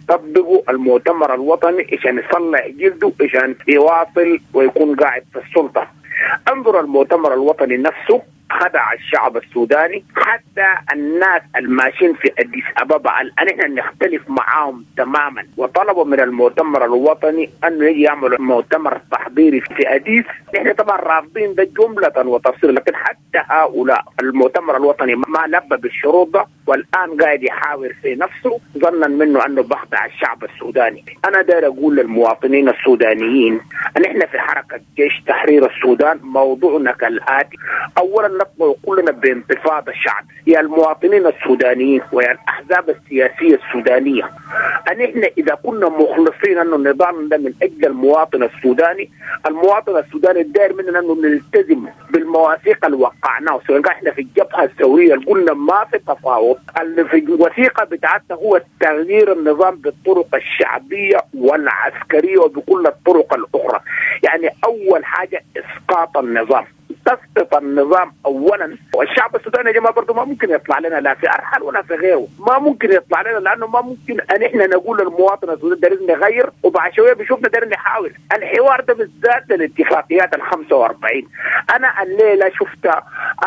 طبقوا المؤتمر الوطني عشان يصلح جلده عشان يواصل ويكون قاعد في السلطة. انظر المؤتمر الوطني نفسه خدع الشعب السوداني، حتى الناس الماشيين في أديس أبابا الآن نحن نختلف معاهم تماما، وطلبوا من المؤتمر الوطني أنه يجي يعملوا مؤتمر تحضيري في أديس. نحن طبعا رافضين ده جملة وتفصيلا، لكن حتى هؤلاء المؤتمر الوطني ما لبى بالشروط ده، والآن قاعد يحاور في نفسه ظنا منه أنه بخدع الشعب السوداني. أنا داير أقول للمواطنين السودانيين أن نحن في حركة جيش تحرير السودان موضوعنا كالآتي: أولا نطلع كلنا بانتفاضة الشعب، يا المواطنين السودانيين ويا الأحزاب السياسية السودانية، أن إحنا إذا كنا مخلصين أنه النظام ده من أجل المواطن السوداني، المواطن السوداني الداير مننا أنه نلتزم بالمواثيق اللي وقعناها، سواء إحنا في الجبهة الثورية قلنا ما في تفاوض، اللي في الوثيقة بتاعتنا هو تغيير النظام بالطرق الشعبية والعسكرية وبكل الطرق الأخرى. يعني أول حاجة إسقاط النظام، تسقط النظام اولا. والشعب السوداني يا جماعه برضه ما ممكن يطلع لنا لا في ارحل ولا في غيره، ما ممكن يطلع لنا، لانه ما ممكن ان احنا نقول للمواطن السوداني دايرين نغير وبعد شويه بيشوفنا دايرين نحاول. الحوار ده بالذات للاتفاقيات ال خمسة وأربعين. انا الليله شفت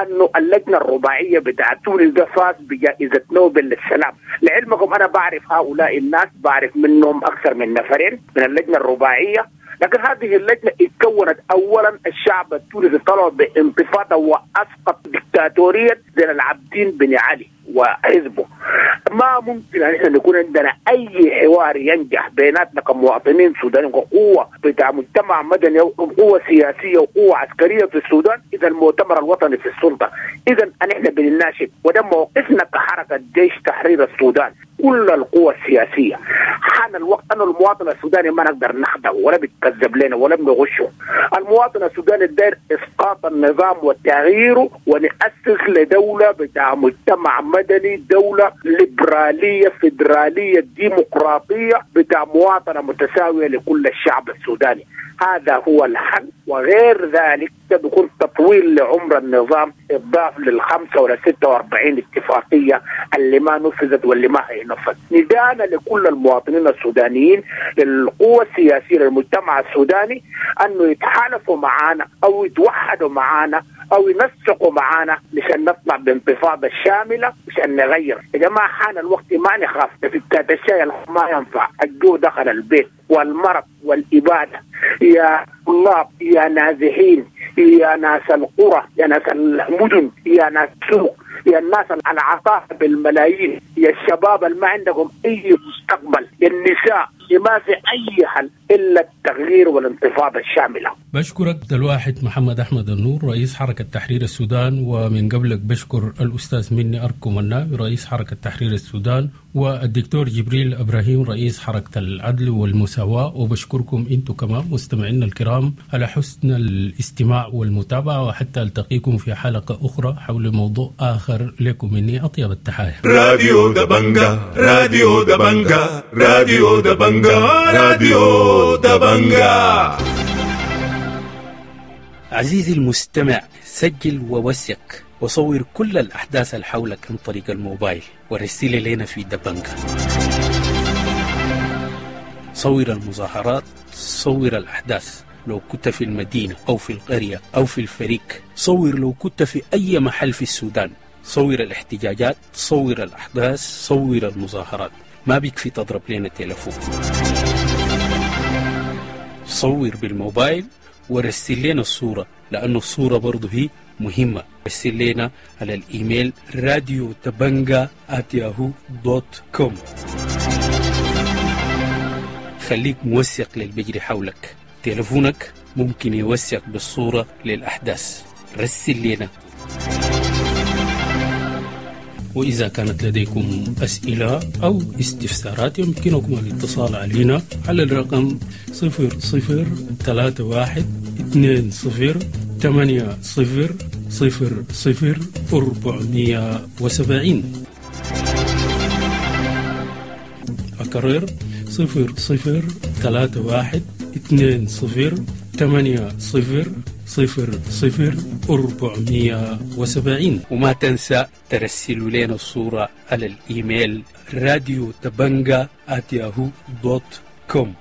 انه اللجنه الرباعيه بتاع تونس ده فاز بجائزه نوبل للسلام. لعلمكم انا بعرف هؤلاء الناس، بعرف منهم اكثر من نفرين من اللجنه الرباعيه، لكن هذه اللجنة اتكونت أولا الشعب التونسي طلع بانتفاضة وأسقط دكتاتورية زين العابدين بن علي وحزبه. ما ممكن أن احنا نكون عندنا أي حوار ينجح بيناتنا كمواطنين سودانيين وقوة بتاع مجتمع مدني وقوة سياسية وقوة عسكرية في السودان إذا المؤتمر الوطني في السلطة. إذا احنا بنناشد، وده موقفنا كحركة جيش تحرير السودان، كل القوى السياسية. حان الوقت أن المواطن السوداني ما نقدر نخدعه ولا بيتكذب لنا ولا بنغشه. المواطن السوداني الداير إسقاط النظام وتغييره، ونأسس لدولة بتاع مجتمع مدني، دولة ليبرالية فيدرالية ديمقراطية بتاع مواطنة متساوية لكل الشعب السوداني. هذا هو الحل، وغير ذلك بيكون تطويل لعمر النظام، اضاف للخمسة ولا ستة وأربعين اتفاقية اللي ما نفذت واللي ما هينفذ. ندانا لكل المواطنين السودانيين، للقوى السياسية، للمجتمع السوداني، أنه يتحالفوا معانا أو يتوحدوا معانا أو ينسقوا معانا مشان نطلع بانتفاضة شاملة مشان نغير. يا جماعة حان الوقت، ما نخاف في الشيء ما ينفع. الجوع دخل البيت والمرض والإبادة. يا طلاب، يا نازحين، يا ناس القرى، يا ناس المدن، يا ناس السوق، يا الناس العطاء بالملايين، يا الشباب اللي ما عندكم أي مستقبل، يا النساء، ما في أي حل إلا التغيير والانتفاضة الشاملة.
بشكرك الواحد محمد أحمد النور رئيس حركة تحرير السودان، ومن قبلك بشكر الأستاذ مني أركو مناوي رئيس حركة تحرير السودان، والدكتور جبريل إبراهيم رئيس حركة العدل والمساواة. وبشكركم أنتم كمان مستمعينا الكرام على حسن الاستماع والمتابعة، وحتى ألتقيكم في حلقة أخرى حول موضوع آخر. لكم مني أطيب التحايا.
راديو دبنجا، راديو دبنجا، راديو دبنجا، راديو دبنجا.
عزيزي المستمع، سجل ووثق وصور كل الأحداث اللي حولك عن طريق الموبايل ورسل لنا في دبنجا. صور المظاهرات، صور الأحداث لو كنت في المدينة أو في القرية أو في الفريق، صور لو كنت في أي محل في السودان، صور الاحتجاجات، صور الأحداث، صور المظاهرات. ما بيكفي تضرب لنا تلفون، صور بالموبايل ورسل لنا الصورة، لأنه الصورة برضو هي مهمة. رسل لنا على الإيميل راديو دبنجا آت ياهو دوت كوم. خليك موثق للبجري حولك، تلفونك ممكن يوثق بالصورة للأحداث. رسل لنا. وإذا كانت لديكم أسئلة أو استفسارات يمكنكم الاتصال علينا على الرقم صفر صفر ثلاثة واحد اثنين صفر ثمانية صفر صفر صفر أربعمية وسبعين. أكرر صفر صفر ثلاثة واحد اثنين صفر ثمانية صفر صفر صفر أربعمية وسبعين. وما تنسى ترسلوا لنا الصورة على الإيميل راديو دبنجا آت ياهو دوت كوم.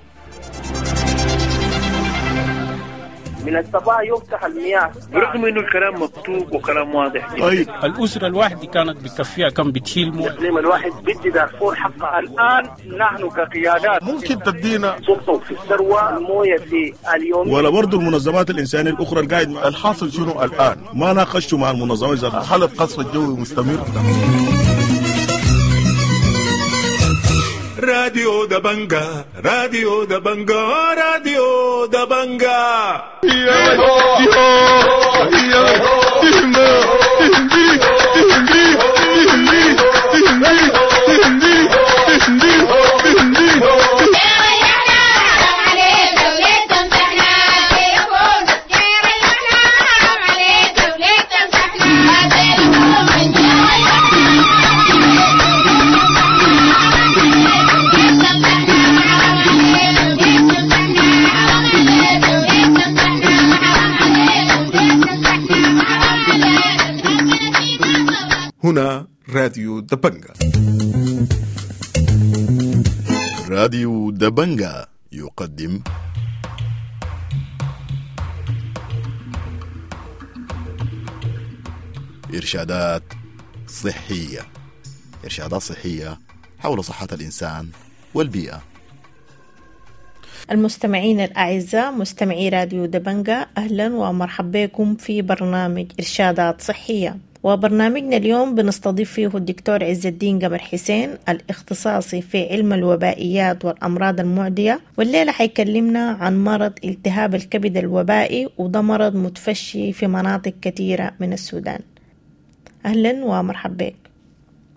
من الصباح يفتح المياه
برغم انه الكلام مكتوب وكلام واضح.
طيب الاسره الواحده كانت بتكفيها كم بتشيل مويه؟
الاقليم الواحد بدي دارفور حقها. الان نحن كقيادات
ممكن تدينا
سلطه في الثروه المويه في اليوم،
ولا برضه المنظمات الانسانيه الاخرى القاعد مع
الحاصل شنو الان؟
ما ناقشتوا مع المنظمات ذاتها.
حاله قصف الجوي مستمر. راديو دبنجا، راديو دبنجا، راديو دبنجا. يا هنا راديو دبنجا.
راديو دبنجا يقدم إرشادات صحية. إرشادات صحية حول صحة الإنسان والبيئة.
المستمعين الأعزاء، مستمعي راديو دبنجا، أهلا ومرحبا بكم في برنامج إرشادات صحية. وبرنامجنا اليوم بنستضيف فيه الدكتور عز الدين قمر حسين، الاختصاصي في علم الوبائيات والأمراض المعدية، والليلة حيكلمنا عن مرض التهاب الكبد الوبائي، وده مرض متفشي في مناطق كثيرة من السودان. أهلا ومرحبا بك.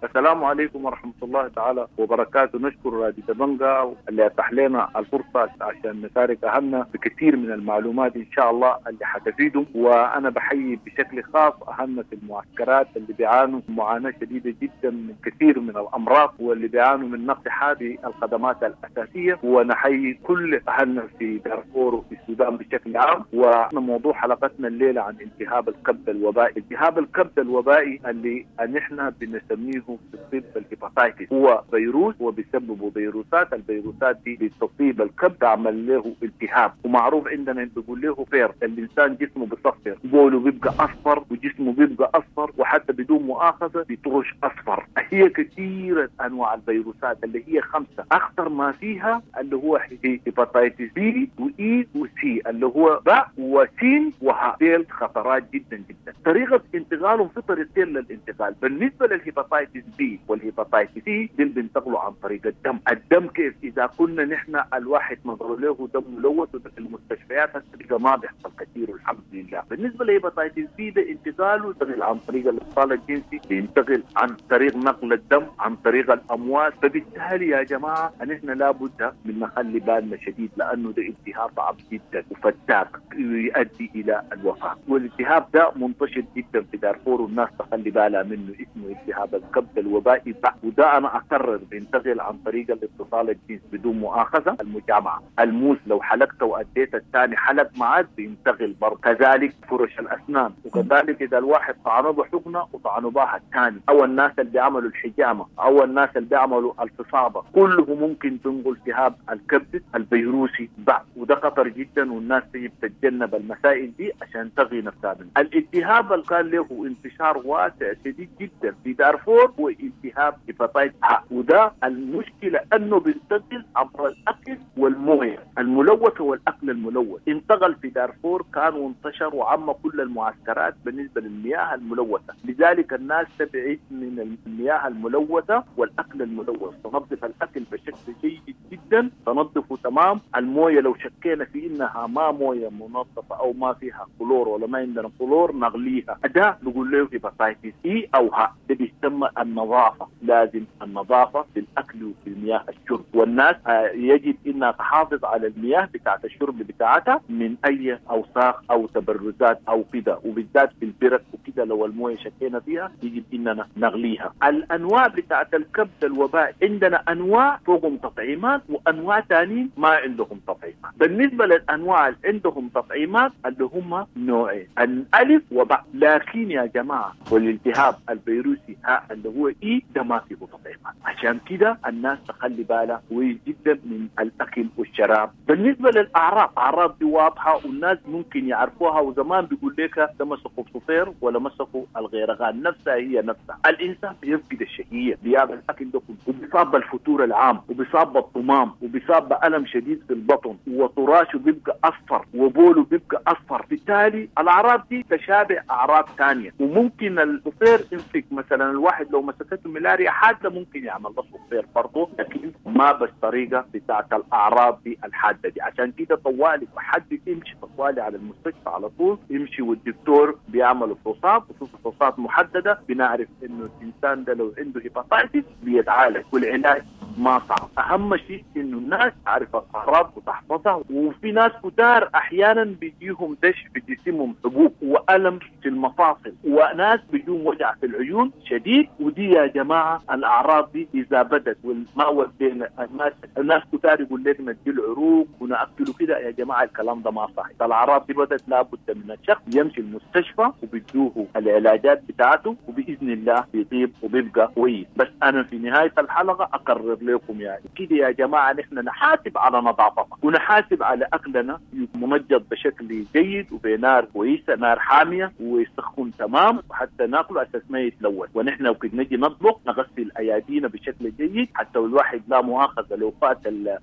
السلام عليكم ورحمة الله تعالى وبركاته. نشكر راديو دبنجا اللي أتاح لنا الفرصة عشان نشارك أهلنا بكثير من المعلومات إن شاء الله اللي حتفيدهم. وأنا بحيي بشكل خاص أهلنا في المعسكرات اللي بيعانوا معاناة شديدة جدا من كثير من الأمراض، واللي بيعانوا من نقص هذه الخدمات الأساسية. ونحيي كل أهلنا في دارفور وفي السودان بشكل عام. وموضوع حلقتنا الليلة عن التهاب الكبد الوبائي. التهاب الكبد الوبائي اللي نحن بنسميه في الطب ال hepatitis، هو فيروس وبيسببه فيروسات. الفيروسات دي بتصيب الكبد تعمل له التهاب، ومعروف عندنا بيقول له فير. الانسان جسمه بيصفر، بوله بيبقى اصفر وجسمه بيبقى اصفر، وحتى بدون مؤاخذة بيطرش اصفر. هي كثيرة انواع الفيروسات اللي هي خمسة، اخطر ما فيها اللي هو hepatitis B و E و C، اللي هو باء وسين وهاء. ديل خطرات جدا جدا. طريقه انتقالهم في طريقتين للانتقال. بالنسبة لل hepatitis B وال hepatitis C دي بينتقلوا عن طريق الدم. الدم كيف؟ اذا كنا نحن الواحد نظر له دم ملوث في المستشفيات هسه ما بيحصل كثير والحمد لله. بالنسبة لل hepatitis B ده انتقاله ينتقل عن طريق الاتصال الجنسي، بينتقل عن طريق نقل الدم، عن طريق الامواس. فبالتالي يا جماعة نحن لابد من نخلي بالنا شديد، لانه ده التهاب صعب جدا وفتاك يؤدي الى الوفاة. والالتهاب ده منتشر جدا في دارفور والناس تخلي بالها منه، اسمه التهاب الكبد الوبائي. وده انا اكرر بينتقل عن طريق الاتصال الجنسي بدون مؤاخذة، المجامعه، الموس لو حلقته واديت الثاني حلق معك بينتقل برضه. كذلك فرش الاسنان، وكذلك اذا الواحد طعنه بحقنه وطعنه بها الثاني، او الناس اللي بيعملوا الحجامة، او الناس اللي بيعملوا الفصابه، كله ممكن تنقل التهاب الكبد الفيروسي بعد. وده خطر جدا، والناس تجب تتجنب المسائل دي عشان تغي نفسها منه. الالتهاب اللي كان له انتشار واسع شديد جدا في دارفور هو التهاب hepatitis ه، وده المشكلة انه بينتقل عبر الاكل والمويه الملوثة والاكل الملوث. انتقل في دارفور كان وانتشر وعم كل المعسكرات بالنسبة للمياه الملوثة، لذلك الناس تبعد من المياه الملوثة والاكل الملوث. تنظف الاكل بشكل جيد جدا، تنظفه تمام. المويه لو شكينا في انها ما مويه منظفه او ما فيها كلور ولا ما عندنا كلور نغليها. ده بيقول له hepatitis E او ه، ده بيسمى النظافة. لازم النظافة في الاكل وفي المياه الشرب، والناس يجب انها تحافظ على المياه بتاعه الشرب بتاعتها من اي اوساخ او تبرزات او كده، وبالذات في البرك وكده لو المويه شكينا فيها يجب اننا نغليها. الانواع بتاعه الكبد الوبائي عندنا انواع فوقهم تطعيمات وانواع ثانيين ما عندهم تطعيمات. بالنسبة للانواع اللي عندهم تطعيمات اللي هم نوعين، الالف وباء. لكن يا جماعة والالتهاب الفيروسي ها اللي هو E ده ما فيه تطعيمات، عشان كده الناس تخلي بالها كويس جدا من الاكل والشراب. بالنسبة للاعراض، اعراض دي واضحة والناس ممكن يعرفوها، وزمان بيقول لك ده مسكوا بصفير ولا مسكوا الغيرغان، نفسها هي نفسها. الانسان بيفقد الشهية، بياكل الاكل ده كله، وبيصاب بالفتور العام، وبيصاب بالطمام، وبيصاب بالم شديد في البطن، وطول طراشه بيبقى اصفر وبوله بيبقى اصفر. بالتالي الاعراض دي تشابه اعراض ثانية، وممكن الصفير يمسك مثلا الواحد لو مسكته ملاريا حادة ممكن يعمل له صفير برضه، لكن ما بالطريقة بتاعت الاعراض دي الحادة دي. عشان كده طوالي حد يمشي طوالي على المستشفى على طول يمشي، والدكتور بيعمل فحوصات، وفي فحوصات محددة بنعرف انه الانسان ده لو عنده hepatitis بيتعالج، والعلاج ما صعب. اهم شيء انه الناس تعرف الاعراض وتحفظها. وفي ناس كتار احيانا بيجيهم دش في جسمهم، حبوب والم في المفاصل، وناس بيجيهم وجع في العيون شديد. ودي يا جماعة الاعراض دي اذا بدت وما ودينا الناس، الناس كتار يقول لك ندي العروق وناكله كده، يا جماعة الكلام ده ما صح. الاعراض دي بدت لابد من الشخص يمشي المستشفى وبيدوه العلاجات بتاعته، وباذن الله بيطيب وبيبقى كويس. بس انا في نهاية الحلقة اقرر لكم يعني كده يا جماعة، نحن نحاسب على نظافتنا ونحاسب على اكلنا منجد بشكل جيد وبنار كويسة، نار حامية ويسخن تمام، وحتى ناكله اساس ما يتلوث. ونحن وقت نجي نطبخ نغسل ايادينا بشكل جيد، حتى الواحد لا مؤاخذة لو فات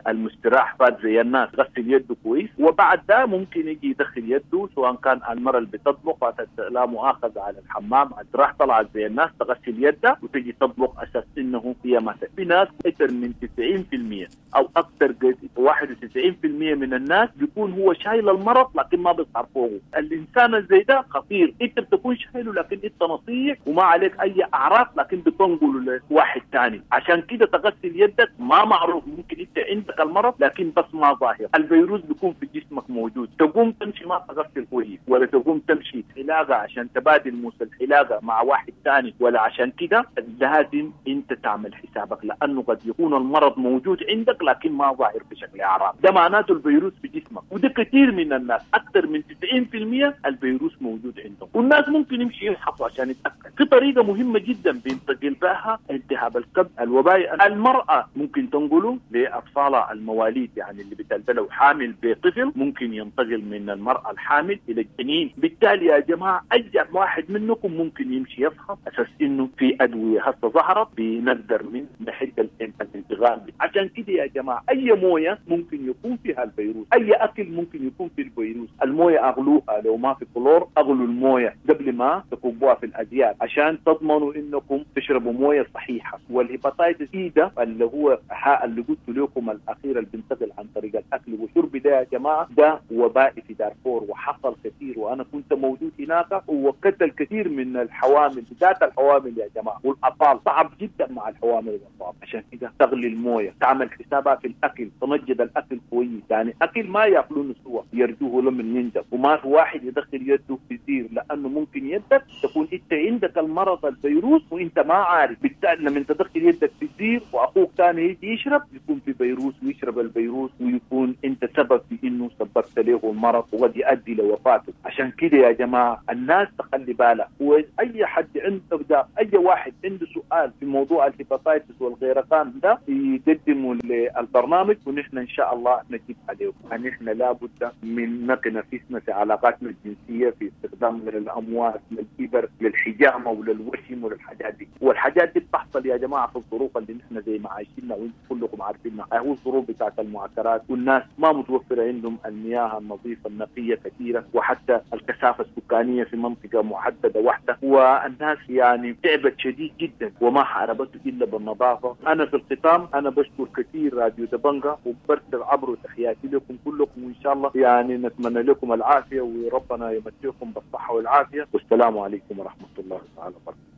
المستراح فات زي الناس غسل يده كويس، وبعد ده ممكن يجي يدخل يده، سواء كان المرأة اللي بتطبخ فاتت لا مؤاخذة على الحمام راح طلعت زي الناس تغسل يدها وتجي تطبخ اساس انه هي ما. في ناس اكثر من تسعين بالمئة او اكثر واحد وتسعين بالمئة من الناس بيكون هو شايل المرض لكن ما بيظهر فوقه. الانسان زي ده خطير، انت بتكون شايله لكن انت نصيح وما عليك اي اعراض، لكن بتنقله لواحد ثاني. عشان كده تغسل يدك، ما معروف ممكن انت عندك المرض لكن بس ما ظاهر، الفيروس بيكون في جسمك موجود. تقوم تمشي ما تغسل كويس، ولا تقوم تمشي حلاقه عشان تبادل موس الحلاقة مع واحد ثاني، ولا عشان كده لازم انت تعمل حسابك، لانه قد يكون المرض موجود عندك لكن ما ظاهر بشكل اعراض. ده معناته الفيروس في جسمك، وده كثير من الناس اكثر من تسعين بالمئة الفيروس موجود عندهم، والناس ممكن يمشي يفحصوا عشان يتاكد. في طريقه مهمة جدا بينتقل بها التهاب الكبد الوبائي، المراة ممكن تنقله لاطفالها المواليد، يعني اللي بتلد لو حامل بطفل ممكن ينتقل من المراة الحامل الى الجنين. بالتالي يا جماعة اي واحد منكم ممكن يمشي يفحص اساس انه في ادوية هسه ظهرت بنقدر من نحد الانتقال. عشان كده يا جماعة اي مويه ممكن يكون فيها الفيروس، اي اكل ممكن يكون فيه الفيروس. المويه اغلوها، لو ما في كلور اغلوا المويه قبل ما تكبوها في الازياء عشان تضمنوا انكم تشربوا مويه صحيحه. وال hepatitis E ده اللي هو اللي قلت لكم الاخير اللي بينتقل عن طريق الاكل والشرب ده يا جماعة، ده وبائي في دارفور وحصل كثير، وانا كنت موجود هناك وقتل كثير من الحوامل، بالذات الحوامل يا جماعة والاطفال، صعب جدا مع الحوامل والاطفال. عشان كده تغلي المويه، تعمل حسابها في الاكل، تنجد الاكل كويس، يعني اكل ما ياكلونه سوا يرجوه لمن ينجب، وما في واحد يدخل يده في زير، لانه ممكن يدك تكون انت عندك المرض الفيروس وانت ما عارف. بالتالي لما تدخل يدك في الزير واخوك ثاني يجي يشرب يكون في فيروس ويشرب الفيروس، ويكون انت سبب في انه سببت له المرض وقد يؤدي لوفاته. عشان كده يا جماعة الناس تخلي بالها، واي حد عنده ده، اي واحد عنده سؤال في موضوع ال hepatitis والغيرقان ده يقدمه للبرنامج ونحن ان شاء الله نجيب عليه. نحن لابد من نقي نفسنا في علاقاتنا الجنسية، في استخدامنا للاموات، للإبر، للحجامه وللوشم وللحاجات دي. والحاجات دي بتحصل يا جماعة في الظروف اللي نحن زي ما عايشينها وانتم كلكم عارفينها، هو الظروف بتاعت المعسكرات، والناس ما متوفرة عندهم المياه النظيفة النقية كثيرة، وحتى الكثافة السكانية في منطقة محددة واحدة، والناس يعني تعبت شديد جدا وما حاربته الا بالنظافة. انا في الختام انا بشكر كثير راديو دبنجا وبرسل عبره تحياتي لكم كلكم، وان شاء الله يعني نتمنى لكم العافية وربنا يمتعكم بالصحة والعافية، والسلام عليكم ورحمة الله تعالى وبركاته.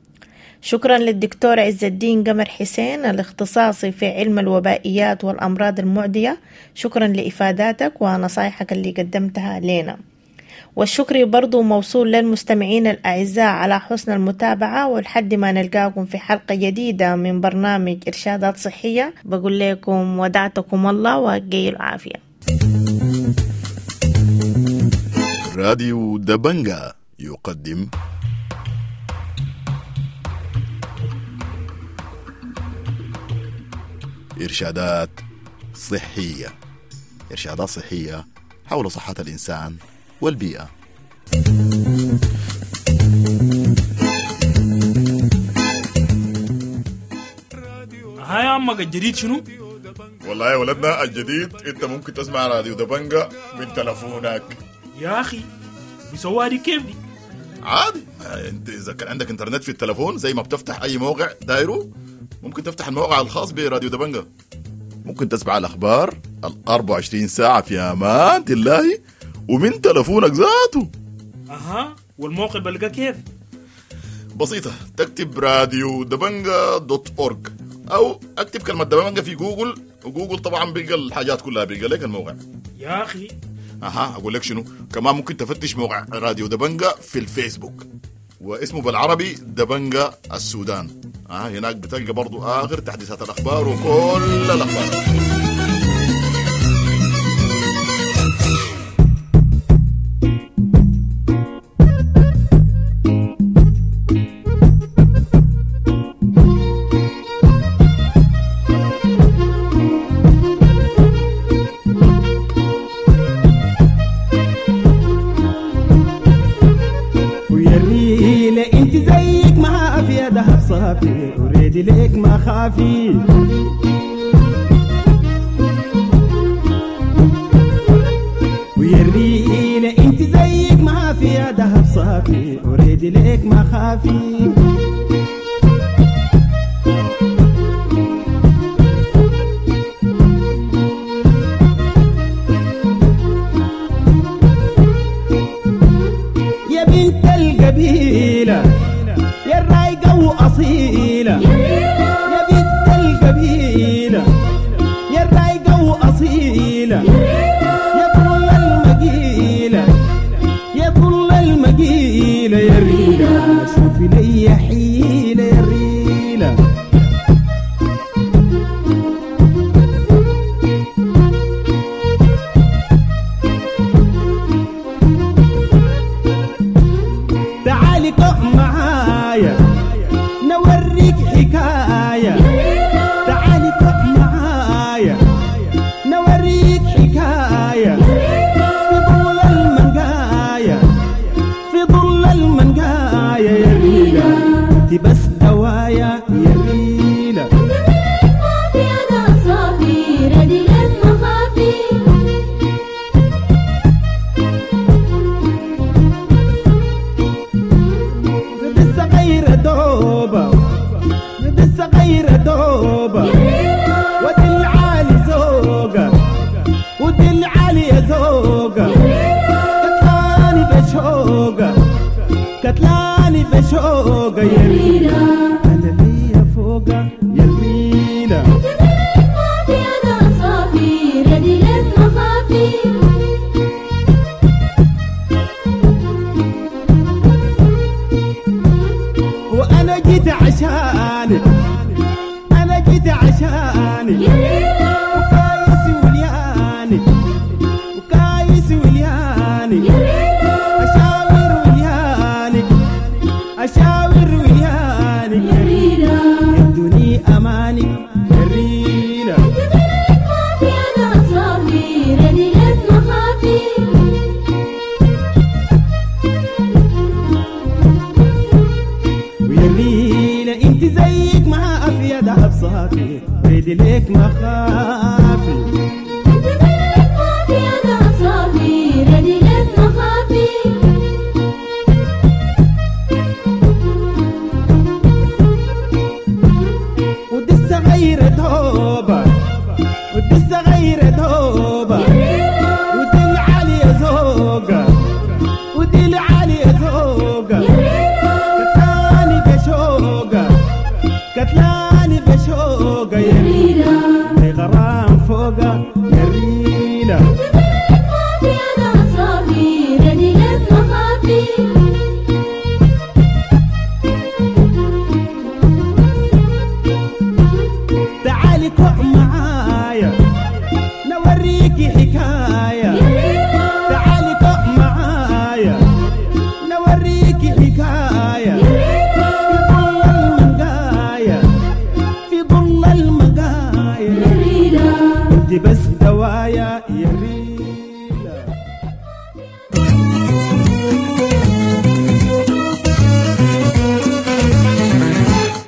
شكرا للدكتور عز الدين قمر حسين الاختصاصي في علم الوبائيات والأمراض المعدية، شكرا لإفاداتك ونصايحك اللي قدمتها لنا. والشكر برضو موصول للمستمعين الأعزاء على حسن المتابعة، ولحد ما نلقاكم في حلقة جديدة من برنامج إرشادات صحية بقول لكم ودعتكم الله وقيل العافية.
راديو دبنجا يقدم إرشادات صحية، إرشادات صحية حول صحة الإنسان والبيئة.
هاي عمك الجديد شنو؟
والله يا ولدنا الجديد، انت ممكن تسمع راديو دبنجة من تلفونك.
يا اخي بيسووها دي كيف دي؟
عادي، انت اذا كان عندك انترنت في التلفون زي ما بتفتح اي موقع دايرة، ممكن تفتح الموقع الخاص براديو دبنجة. ممكن تسمع الاخبار ال أربعة وعشرين ساعة في امان الله ومن تلفونك ذاته.
اها، والموقع بلقى كيف؟
بسيطة، تكتب راديو دبنجة dot org او اكتب كلمة دبنجة في جوجل، وجوجل طبعا بيلقى الحاجات كلها، بيلقى لك الموقع.
يا اخي
اها، اقول لك شنو كمان، ممكن تفتش موقع راديو دبنجة في الفيسبوك، واسمه بالعربي دبنجة السودان. اه هناك بتلقى برضو اخر تحديثات الاخبار وكل الاخبار.
وريدي ليك ما خافي، ويا الريلة انت زيك ما في دهب صافي، وريدي ليك ما خافي. يا بنت القبيلة يا الرايقة وأصيلة، يا بنت القبيلة يا الرايقة وأصيلة، يا طول المقيلة يا طول المقيلة، يا ريلة شوفي لي حيلة يا ريلة. تعالي قم معايا نوريك حكاية، تعالي قم معايا نوريك حكاية، في ظل المنقاية في ظل المنقاية، يا ريلة انت بس دوايا يا ريلة. الصغيرة دوبة ودي العالي زوقة، ودي العالي يا زوقة، كتلاني بشوقة كتلاني بشوقة، يا ريلة أنا ليا فوقة يا ريلة. وأنا جيت عشانك، أنا جيت عشانك، وكايس وليانك وكايس وليانك، أشاور وليانك أشاور وليانك، يدوني أمانك يا ريلة. ويا ريلة انت زيك ما في دهب صافي، ريدي ليك ما خافي.